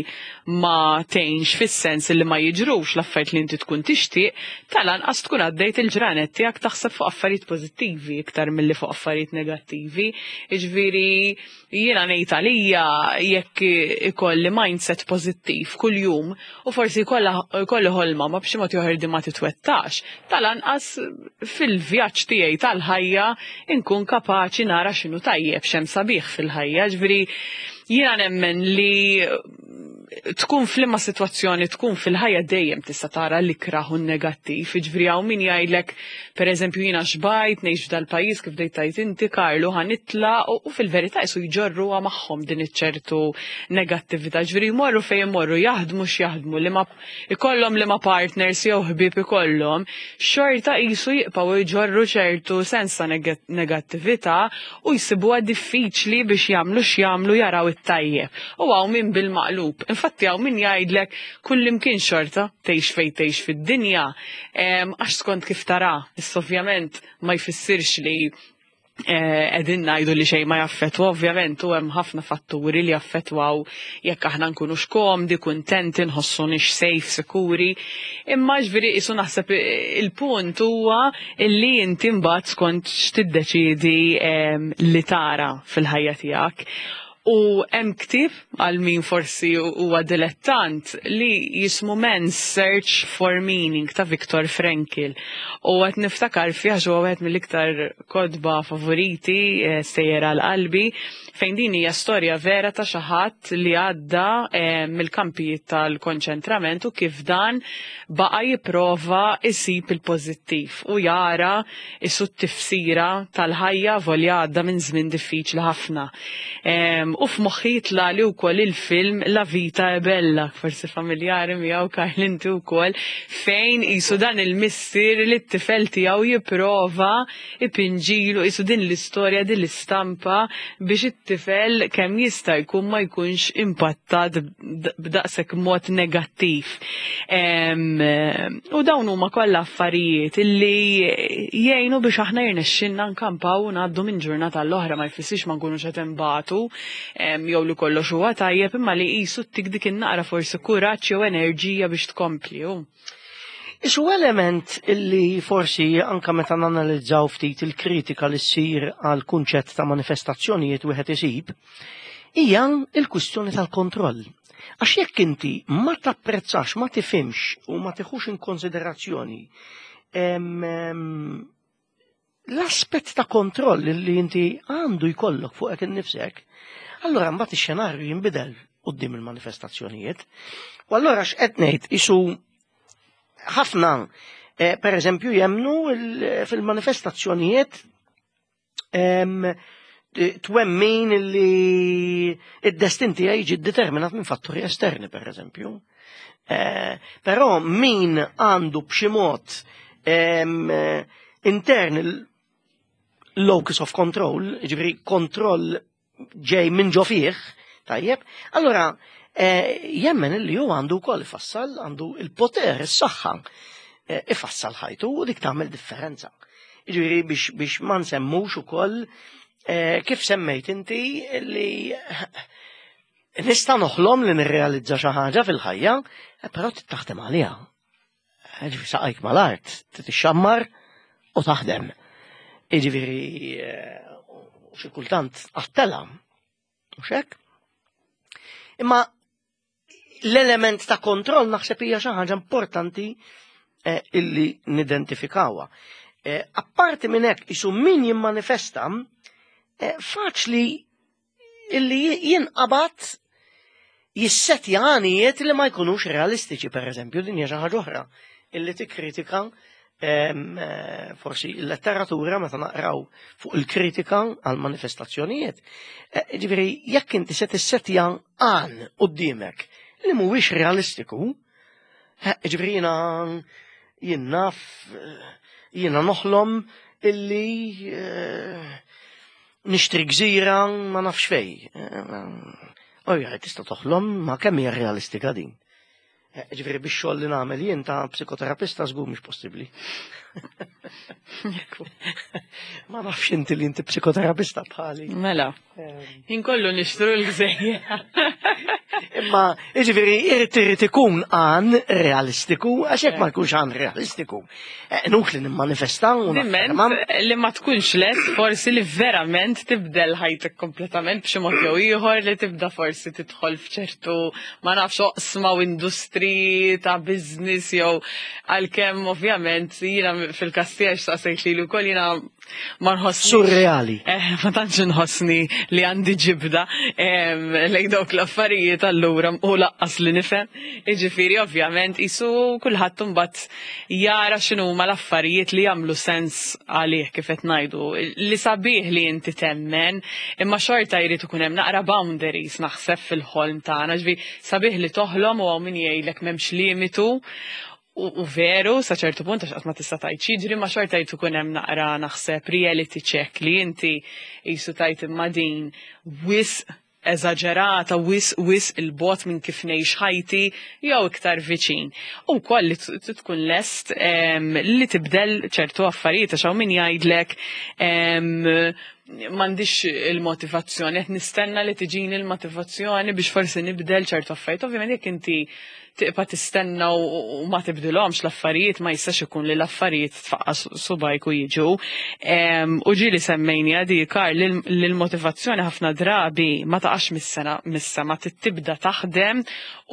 B: ma tgħinx fis-sens li ma jiġrux l-affarijiet li inti tkun tixtieq, tal-anqas tkun għaddejt il-ġranet tiegħek taħseb fuq affarijiet pożittivi iktar milli fuq affarijiet negattivi. Jiġifieri jiena ngħid għalija, jekk ikolli mindset pożittiv kuljum u forsi jkolli ħolma ma b'xi mod ieħor di ma titwettax, tal-anqas fil-vjaġġ tiegħi tal-ħajja inkun kapaċi nara x'inhu tajjeb, x'hemm sabiħ fil-ħajja. Ġifieri jiena nemmen li Tkun f'liema sitwazzjoni tkun fil-ħajja, dejjem tista' tara l-ikraħ u negattiv. Jiġifieri hawn min jgħidlek, pereżempju, jiena xbajt ngħix f'dal-pajjiż, kif bdejt tgħid inti, Karlu, ħa nitlaq, u fil-verità qisu jġorruha magħhom din iċ-ċertu negattività. Ġifieri jmorru fejn jmorru, jaħdmu x'jaħdmu, li ma ikollhom, li ma partners jew ħbieb ikollhom, xorta qisu jibqgħu jġorru ċertu sens ta' negattività u jsibuha diffiċli biex jagħmlu x'jagħmlu jaraw it-tajjeb. U hawn min bil-maqlub. Infatti hawn min jgħidlek kullimkien xorta, tgħix fejn tgħix fid-dinja, għax skont kif tara. Issa ovvjament ma jfissirx li qegħdin ngħidu li xejn ma jaffettwa, ovvjament, u hemm ħafna fatturi li jaffettwaw jekk aħna nkunux komdi, kuntenti, nħossunix safe, sikuri. Imma ġifieri qisu naħseb il-punt huwa illi inti mbagħad skont x'tiddeċiedi li tara fil-ħajja tiegħek. U hemm ktieb għal min forsi huwa dilettant li jismu Man's Search for Meaning ta' Viktor Frankl. U qed niftakar fih għax huwa wieħed mill-iktar kotba favoriti, eh, sejjer għal qalbi, fejn din hija storja vera ta' xi ħadd li għadda eh, mill-kampijiet tal-konċentrament u kif dan baqa' jipprova isib il-pożittiv u jara isu t-tifsira tal-ħajja volja għadda minn żmien diffiċli ħafna. U f'moħħi jitlali wkoll il-film La Vita è Bella, forsi familjari miegħu, Karl, inti wkoll, fejn qisu dan il-missier li t-tifel tiegħu jipprova ipinġilu qisu din l-istorja, din l-istampa biex it-tifel kemm jista' jkun ma jkunx impattat b'daqshekk mod negattiv. U dawn huma kollha affarijiet illi jgħinu biex aħna jirnexxinna nkampaw u ngħaddu minn ġurnata l-oħra. Ma jfissirx ma nkunux qed inbatu jew li kollox huwa tajjeb, imma li qisu ttik dik in-naqra forsi kuraġġ jew enerġija biex tkompli.
A: Isu element illi forsi anka meta nanalizzaw ftit il-kritika li ssir għal kunċett ta' manifestazzjonijiet wieħed isib, hija il-kwistjoni tal-kontroll. Għax jekk inti ma tapprezzax, ma tifhimx u ma tiħux in konsiderazzjoni l-aspett ta' kontroll li inti għandu jkollok fuqek innifsek, allora mbagħad ix-xenarju jinbidel quddiem il-manifestazzjonijiet. U allora x'qed ngħid, isu ħafna eh, per eżempju jemnu fil-manifestazzjonijiet, twemmin li id-destin tiegħi jiġi determinat minn fatturi esterni, per eżempju. Eh, però min għandu b'xi mod intern locus of control, ġifieri kontroll ġej minn ġo fih, tajjeb, allora eh, jemmen li hu għandu wkoll ifassal, għandu il-poter, is-saħħa, eh, ifassal ħajtu u dik tagħmel differenza. Ġifieri biex, biex ma nsemmux ukoll eh, kif semmejt inti li nista' noħlom li nirrealizza xi ħaġa fil-ħajja, però taħdem għaliha. Ġifieri saqajk mal-art, tixxammar u taħdem. Ġifieri xi kultant għattela. Mhux hekk? Imma l-element ta' kontroll naħseb hija xi ħaġa importanti eh, illi nidentifikawha. Eh, apparti minn hekk, isu min jimmanifesta eh, faċli illi jinqabad jissetja għanijiet li ma jkunux realistiċi, per eżempju, din hija xi ħaġa oħra illi tikkritika eh, forsi il-letteratura meta naqraw fuq il-kritika għal manifestazzjonijiet. Eh, ġifieri, jekk inti se tissetja għan quddiemek li mhuwiex realistiku, eh, ġifieri jiena jien naf, jiena noħlom illi nixtri gżira ma nafx fej. Ojja, tista' toħlom, ma kemm hija realistika din? Ġifieri biex xogħol li nagħmel jien ta' psikoterapista żgur mhux possibbli. Ma nafx inti li inti psikoterapista bħali.
B: Mela. Inkollu nixtru l-gżejjer.
A: Imma, ġifieri, irid irid ikun għan realistiku, għax jekk ma jkunx għan realistiku, nux li nimmanifesta u
B: Diment li ma tkunx lest forsi li verament tibdel ħajtek kompletament b'xi mod jew ieħor, li tibda forsi tidħol f'ċertu, ma nafx, oqsma u industri ta' business jew, għalkemm ovvjament jiena fil-każ tiegħi, saqsejt li wkoll jiena Ma nħossni.
A: Surreali.
B: Eh, ma tantx nħossni li għandi ġibda lejn dawk l-affarijiet allura u lanqas li nifhem. Jiġifieri ovvjament isu kulħadd imbagħad jara x'inhuma l-affarijiet li jagħmlu sens għalih, kif qed ngħidu. Li sabiħ li inti temmen, imma xorta jrid ikun hemm naqra boundaries, naħseb, fil-ħolm tagħna. Ġifieri sabiħ li toħlom u hawn min jgħidlek m'hemmx limitu. U, u veru, sa ċertu punt, għax qatt ma tista' tgħid x'jiġri, ma xorta jrid ikun hemm naqra, naħseb, reality check li inti qisu tgħid imma din wisq eżaġerata, wisq wisq 'il bogħod minn kif ngħix ħajti jew iktar viċin. U wkoll li tkun lest li tibdel ċertu affarijiet, għax hawn min jgħidlek, "M'għandix il-motivazzjoni, qed nistenna li tiġini l-motivazzjoni biex forsi nibdel ċertu affarijiet." Ovvjament jekk inti tibqa' tistenna u ma tibdilhomx l-affarijiet, ma jistax ikun li l-affarijiet tfaqqa subgħajk u jiġu. U ġieli semmejni għadi, Kar, li l-motivazzjoni ħafna drabi ma taqax mis-sena mis-sema, tibda taħdem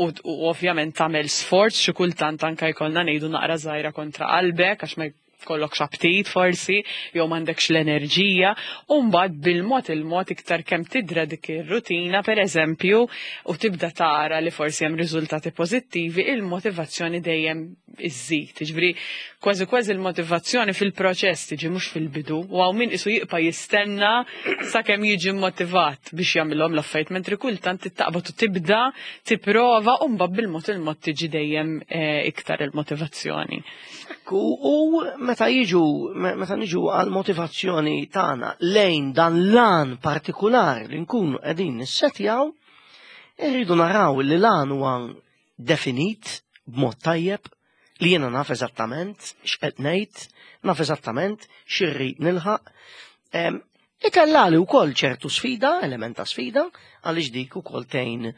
B: u ovvjament tagħmel sforz, xi kultant anke jkollna ngħidu naqra żgħira kontra qalbek, għax ma jkollokx aptit forsi, jew m'għandekx l-enerġija, u mbagħad bil-mod il-mod, iktar kemm tidra dik ir-rutina, pereżempju, u tibda tara li forsi hemm riżultati pożittivi, il-motivazzjoni dejjem iżżid. Ġifieri kważi kważi il-motivazzjoni fil-proċess tiġi, mhux fil-bidu, u hawn min isu jibqa' jistenna sakemm jiġi motivat biex jagħmilhom l-affarijiet, mentri kultant tittaqbad u tibda tipprova u mbagħad bil-mod il-mod tiġi dejjem eh, iktar il-motivazzjoni.
A: Ekku, u meta jiġu, meta niġu għal motivazzjoni tagħna lejn dan l-għan partikolari li nkunu qegħdin nissetjaw, irridu naraw li l-għan huwa definit b'mod tajjeb, li jiena naf eżattament x'qed ngħid, naf eżattament x'irrid nilħaq. Itellali wkoll ċertu sfida, element ta' sfida, għaliex dik ukoll tgħin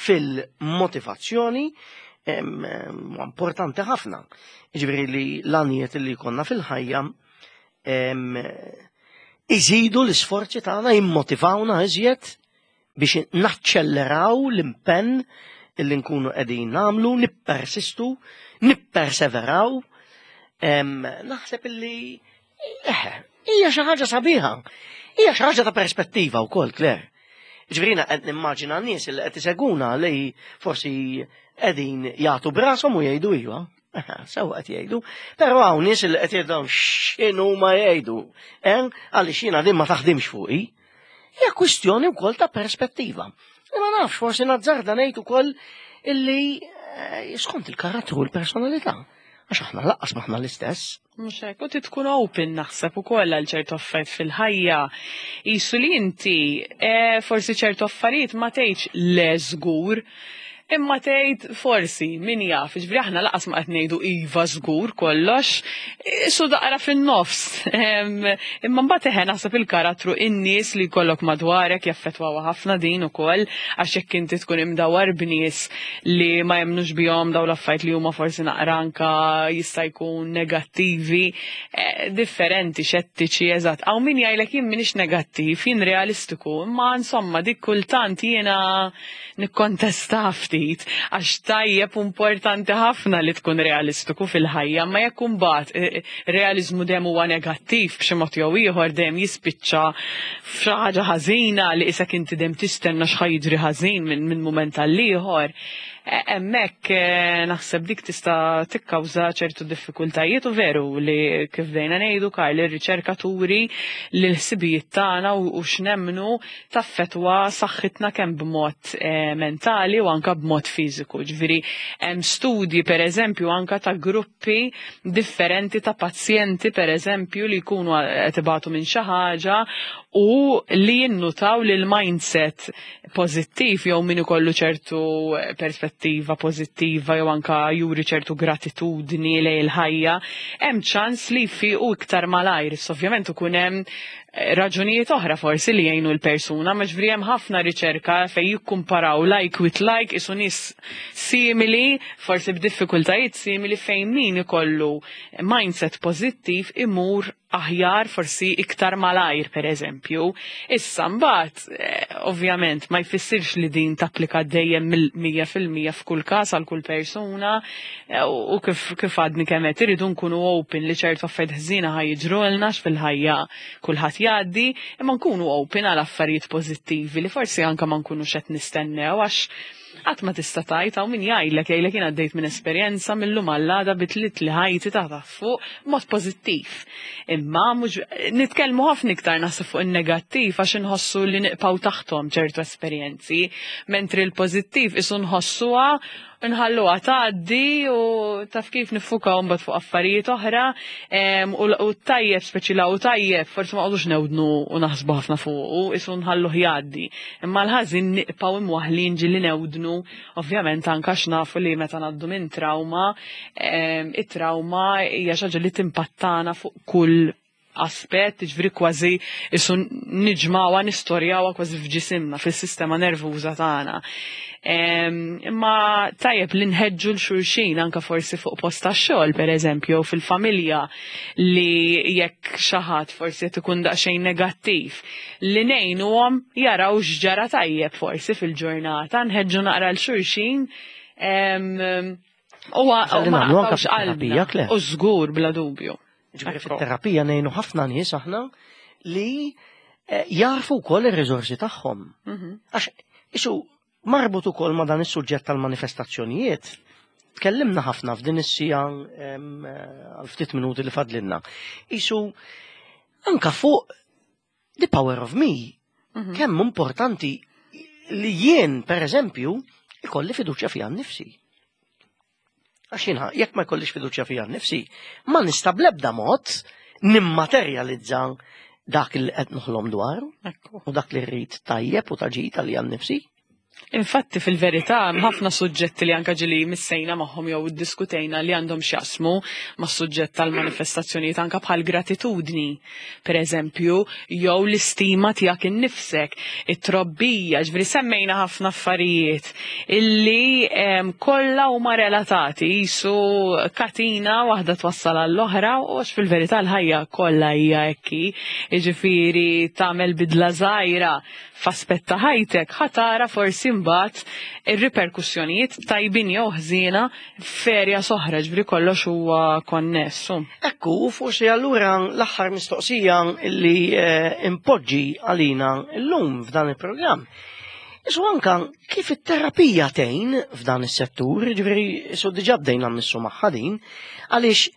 A: fil-motivazzjoni, importanti ħafna. Ġifieri li l-għanijiet li konna fil-ħajja iżidu l-isforzi tagħna, jimmotivawna iżjed biex naċċelleraw l-impenn illi nkunu qegħdin nagħmlu, nippersistu, nipperseveraw. Naħseb illi eħe, hija xi ħaġa sabiħa. Hija xi ħaġa ta' perspettiva wkoll, Claire. Ġifieri qed nimmaġina nies li qed iseguna li forsi qegħdin jagħtu brashom u jgħidu, "Iva, sewa qed jgħidu", però hawn nies li qed jgħidu, "X'inhu ma jgħidu, eh? Għaliex jiena din ma taħdimx fuqi." Hija kwistjoni wkoll ta' perspettiva. Ma nafx, forsi nazzarda ngħid ukoll illi eh, skont il-karattru u l-personalità. Għax aħna lanqas m'aħna l-istess.
B: Mhux hekk, u tkun open, naħseb, ukoll għal ċertu affarijiet fil-ħajja. Isu li inti eh, forsi ċertu affarijiet ma tgħidx le żgur, imma tgħid forsi, min jaf, ġifieri aħna lanqas ma qed ngħidu iva żgur kollox, isu daqra fin-nofs. Imma mbagħad eħe, naħseb il-karattru, in-nies li jkollok madwarek jaffettwaw ħafna din ukoll, għax jekk inti tkun imdawar b'nies li ma jemnux bihom daw l-affarijiet, li huma forsi naqra anka jista' jkun negattivi, eh, differenti, xettiċi, eżatt. Hawn min jgħidlek, "Jien m'iniex negattiv, jien realistiku", imma insomma dik kultant jiena nikkontesta ftit, għax tajjeb, importanti ħafna li tkun realistiku fil-ħajja, ma jekk imbagħad eh, eh, realizmu dejjem huwa negattiv b'xi mod jew ieħor, dejjem jispiċċa f'xi ħaġa ħażina li isek inti dejjem tistenna x'ħa jiġri ħażin minn min mument għal ieħor. Hemmhekk eh, naħseb dik tista' tikkawża ċertu diffikultajiet, u veru li kif bdejna ngħidu, Karl, ir-riċerka turi li l-ħsibijiet tagħna u u x'nemmnu taffetwa saħħitna kemm b'mod eh, mentali u anka b'mod fiżiku. Ġifieri hemm studji, pereżempju, anka ta' gruppi differenti ta' pazjenti, pereżempju, li jkunu qed ibatu minn xi ħaġa u li jinnutaw li l-mindset pożittiv jew min ikollu ċertu perspettiva pożittiva jew anka juri ċertu gratitudni lejn il-ħajja, hemm ċans li jfiqu iktar malajr. Issa ovvjament ikun hemm Raġunijiet oħra forsi li jgħinu l-persuna, ma ġifieri hemm ħafna riċerka fejn jikkumparaw like with like, isu nies simili, forsi b'diffikultajiet simili, fejn min ikollu mindset pożittiv imur aħjar forsi iktar malajr, per eżempju. Issa mbagħad, eh, ovvjament, ma jfissirx li din tapplika dejjem mija fil-mija f'kull każ għal kull persuna eh, u kif kif għadni kemm qed irridu nkunu open li ċertu affarijiet ħżiena ħa jiġrulna fil-ħajja, kulħadd jgħaddi, imma nkunu open għal affarijiet pożittivi li forsi anke ma nkunux qed nistennew, għax qatt ma tista' tgħid. Hawn min jgħidlek jgħidlek jien għaddejt minn esperjenza, millum għall-għada bidlit li ħajti ta' ta' fuq mod pożittiv. Imma mhux nitkellmu ħafna iktar naħseb fuq in-negattiv għax inħossu li nibqgħu taħthom ċertu esperjenzi, mentri l-pożittiv isu nħossuha, nħalluha tgħaddi u taf kif niffukaw mbagħad fuq affarijiet oħra u u tajjeb, speċi la u tajjeb forsi ma qogħdux newdnu u naħsbu ħafna fuq, isu nħalluh jgħaddi. Imma l-ħażin nibqgħu imwaħlin, ġieli newdnu, ovvjament anke nafu li meta ngħaddu minn trauma, it-trauma hija xi ħaġa li timpattana fuq kull aspett, ġifieri kważi isu niġmawha, nistorjawha kważi f'ġisimna, fis-sistema nervuża tagħna. Imma tajjeb li nħeġġu 'l xulxin anka forsi fuq post tax-xogħol, pereżempju, fil-familja, li jekk xi ħadd forsi qed ikun daqsxejn negattiv, li ngħinuhom jaraw x'ġara tajjeb forsi fil-ġurnata, nħeġġu naqra 'l xulxin. U ma naqtgħux qalbna. U żgur, bla dubju.
A: Ġifieri fit-terapija ngħinu ħafna nies aħna li eh, jarfu wkoll ir-riżorsi tagħhom. Mhm. Għax isu marbut ukoll ma' dan is-suġġett tal-manifestazzjonijiet. Tkellimna ħafna f'din is-siegħa, eh, għal ftit minuti li fadlinna. Isu anka fuq the power of me. Mhm. Kemm importanti li jien, per eżempju, ikolli fiduċja fija nnifsi. Għax jiena, jekk ma jkollix fiduċja fija nnifsi, ma nista' bl-ebda mod nimmaterjalizza dak li qed noħlom dwar u dak li rrid tajjeb u taġit għalija nnifsi.
B: Infatti, fil-verità, ħafna suġġetti li anka ġieli missejna magħhom jew iddiskutejna li għandhom x'jaqsmu ma' suġġett tal-manifestazzjonijiet, anka bħal gratitudni, per eżempju, jew l-istima tiegħek innifsek, it-trobbija, ġifieri semmejna ħafna affarijiet illi kollha huma relatati, jisu katina waħda twassal għall-oħra, u għax fil-verità l-ħajja kollha hija hekk, jiġifieri tagħmel bidla żgħira f'aspett ta' ħajtek, ħa tara forsi mbagħad ir-riperkussjonijiet tajbin jew ħżiena f'erja oħra, ġifieri kollox huwa konnessu.
A: Ekku, u forsi allura l-aħħar mistoqsija li eh, impoġġi għalina llum f'dan il-programm. Isu anka kif it-terapija tgħin f'dan is-settur, ġifieri isu diġà bdejna mmissu magħha din, għaliex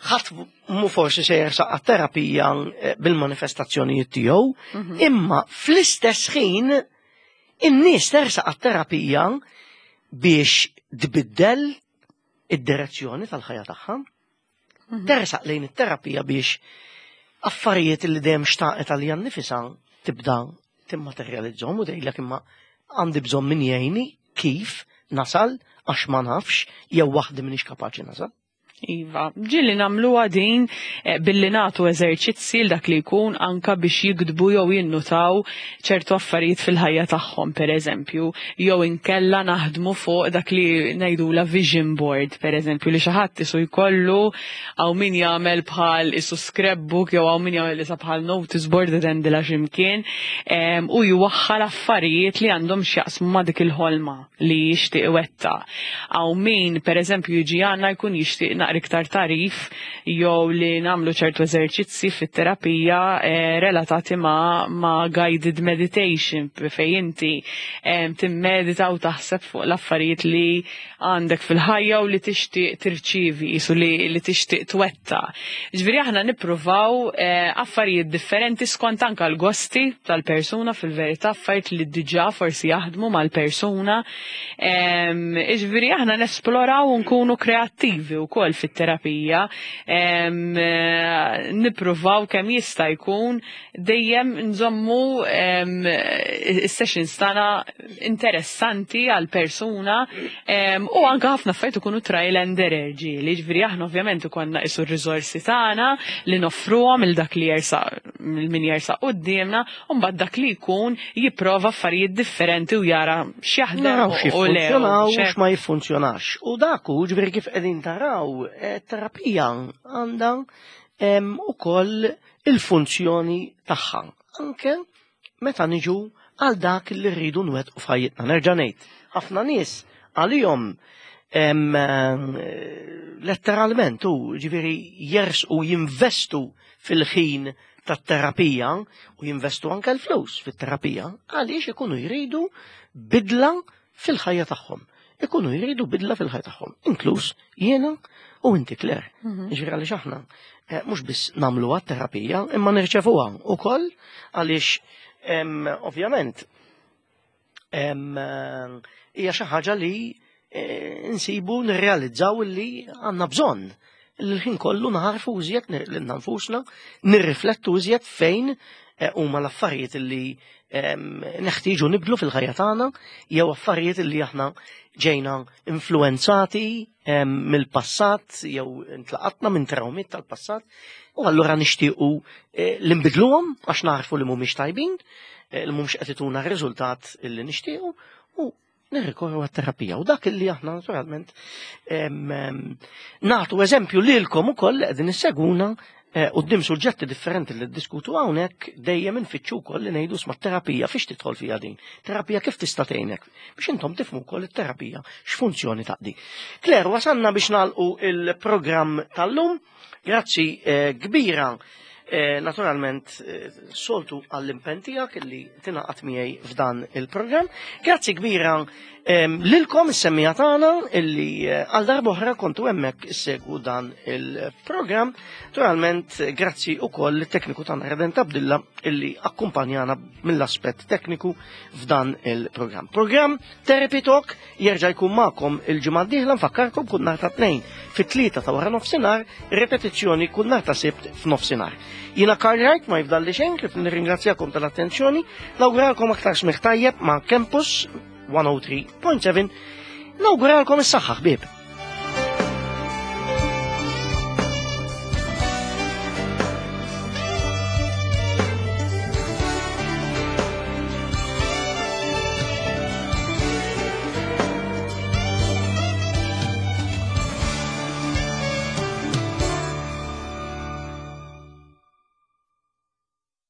A: ħadd mu forsi se jersaq għat-terapija eh, bil-manifestazzjonijiet tiegħu, mhm. imma fl-istess ħin in-nies tersaq għat-terapija biex tbiddel id-direzzjoni tal-ħajja tagħha. Mhm. Tersaq lejn it-terapija biex affarijiet li dejjem xtaqet għalija nnifisha tibda timmaterjalizzhom u tgħidlek, "Imma għandi bżonn min jgħinni kif nasal għax ma nafx jew waħdi m'iniex kapaċi nasal."
B: Iva, ġieli nagħmluha din eh, billi nagħtu eżerċizzi l dak li jkun anka biex jiktbu jew jinnutaw ċertu affarijiet fil-ħajja tagħhom, per eżempju, jew inkella naħdmu fuq dak li ngħidula vision board, per eżempju, li xi ħadd isu jkollu, hawn min jagħmel bħal isu scrapbook jew hawn min jagħmel isa bħal notice board tendila x'imkien u jwaħħal affarijiet li għandhom x'jaqsmu ma' dik il-ħolma li jixtieq iwettaq. Hawn min, per eżempju, jiġi għandna jkun jixtieq naqra iktar tagħrif jew li nagħmlu ċertu eżerċizzi fit-terapija eh, relatati ma', ma guided meditation fejn inti eh, timmedita u taħseb fuq l-affarijiet li għandek fil-ħajja u li tixtieq tirċivi, jisu li, li tixtieq twettaq. Ġifieri aħna nippruvaw eh, affarijiet differenti skont anka l-gosti tal-persuna, fil-verità affarijiet li diġà forsi jaħdmu mal-persuna. Ġifieri aħna nesploraw u nkunu kreattivi wkoll fit-terapija. Eh, nippruvaw kemm jista' jkun dejjem nżommu is-sessions tagħna interessanti għal persuna u anka ħafna affarijiet ikunu trial and error ġieli, ġifieri aħna ovvjament ikollna isu r-riżorsi tagħna li noffruhom il dak li jersaq. min jersaq quddiemna, u mbagħad dak li jkun jipprova affarijiet differenti u jara x'jaħdem
A: Naraw
B: u le.
A: x'jiffunzjonaw
B: u
A: u
B: x'hekk.
A: x'ma jiffunzjonax. U dak hu, ġifieri, kif qegħdin taraw, eh, terapija għandha em, ukoll il-funzjoni tagħha. Anke meta niġu għal dak li rridu nwettqu f'ħajjitna. Nerġa' ngħid, ħafna nies għalihom em, eh, letteralment u ġifieri jersqu jinvestu fil-ħin tat-terapija u jinvestu anke l-flus fit-terapija għaliex ikunu jridu bidla fil-ħajja tagħhom. Ikunu jridu bidla fil-ħajja tagħhom, inkluż jiena u inti, Claire. Ġifieri għaliex aħna eh, mhux biss nagħmluha terapija, imma nirċevuha ukoll għaliex em, ovvjament em, eh, hija xi ħaġa li eh, nsibu nirrealizzaw li għandna bżonn l-ħin kollu naħarfu iżjed lilna nfusna, nirriflettu iżjed fejn eh, huma l-affarijiet li em, neħtieġu nibdlu fil-ħajja tagħna jew affarijiet li aħna ġejna influenzati em, mill-passat jew intlaqatna minn trawmiet tal-passat u allura nixtiequ eh, li nbidluhom għax naħarfu li mhumiex tajbin, eh, li mhumiex qed ituna r-riżultat li nixtiequ u nirrikorru għat-terapija. U dak li aħna naturalment em, em, nagħtu eżempju lilkom ukoll li qegħdin issegwuna eh, quddiem suġġetti differenti li ddiskutu hawnhekk, dejjem infittxu wkoll li ngħidu, "Isma', terapija fiex tidħol fiha din? Terapija kif tista' tgħinek?" Biex intom tifhmu wkoll it-terapija x'funzjoni taqdi. Claire, wasanna biex nagħlqu il-programm tal-lum. Grazzi eh, kbira eh, naturalment eh, soltu għall-impenn tiegħek illi tingħaqad miegħi f'dan il-programm. Grazzi kbira em, lilkom is-semmiegħa tagħna illi eh, għal darb'oħra kontu hemmhekk issegwu dan il-programm. Naturalment eh, grazzi ukoll lit-tekniku tagħna Redent Abdilla illi akkumpanjana mill-aspett tekniku f'dan il-programm. Programm Therapy Talk jerġa' jkun magħkom il-ġimgħa d-dieħla. Nfakkarkom, kull nhar ta' Tnejn fit-tlieta ta' wara nofsinhar, repetizzjoni kull nhar ta' Sibt f'nofsinhar. Jiena Karl Wright, ma jifdalli xejn kif nirringrazzjakom tal-attenzjoni, nawguralkom aktar smigħ tajjeb ma' Campus mija u tlieta punt seba', nawguralkom is-saħħa, ħbieb.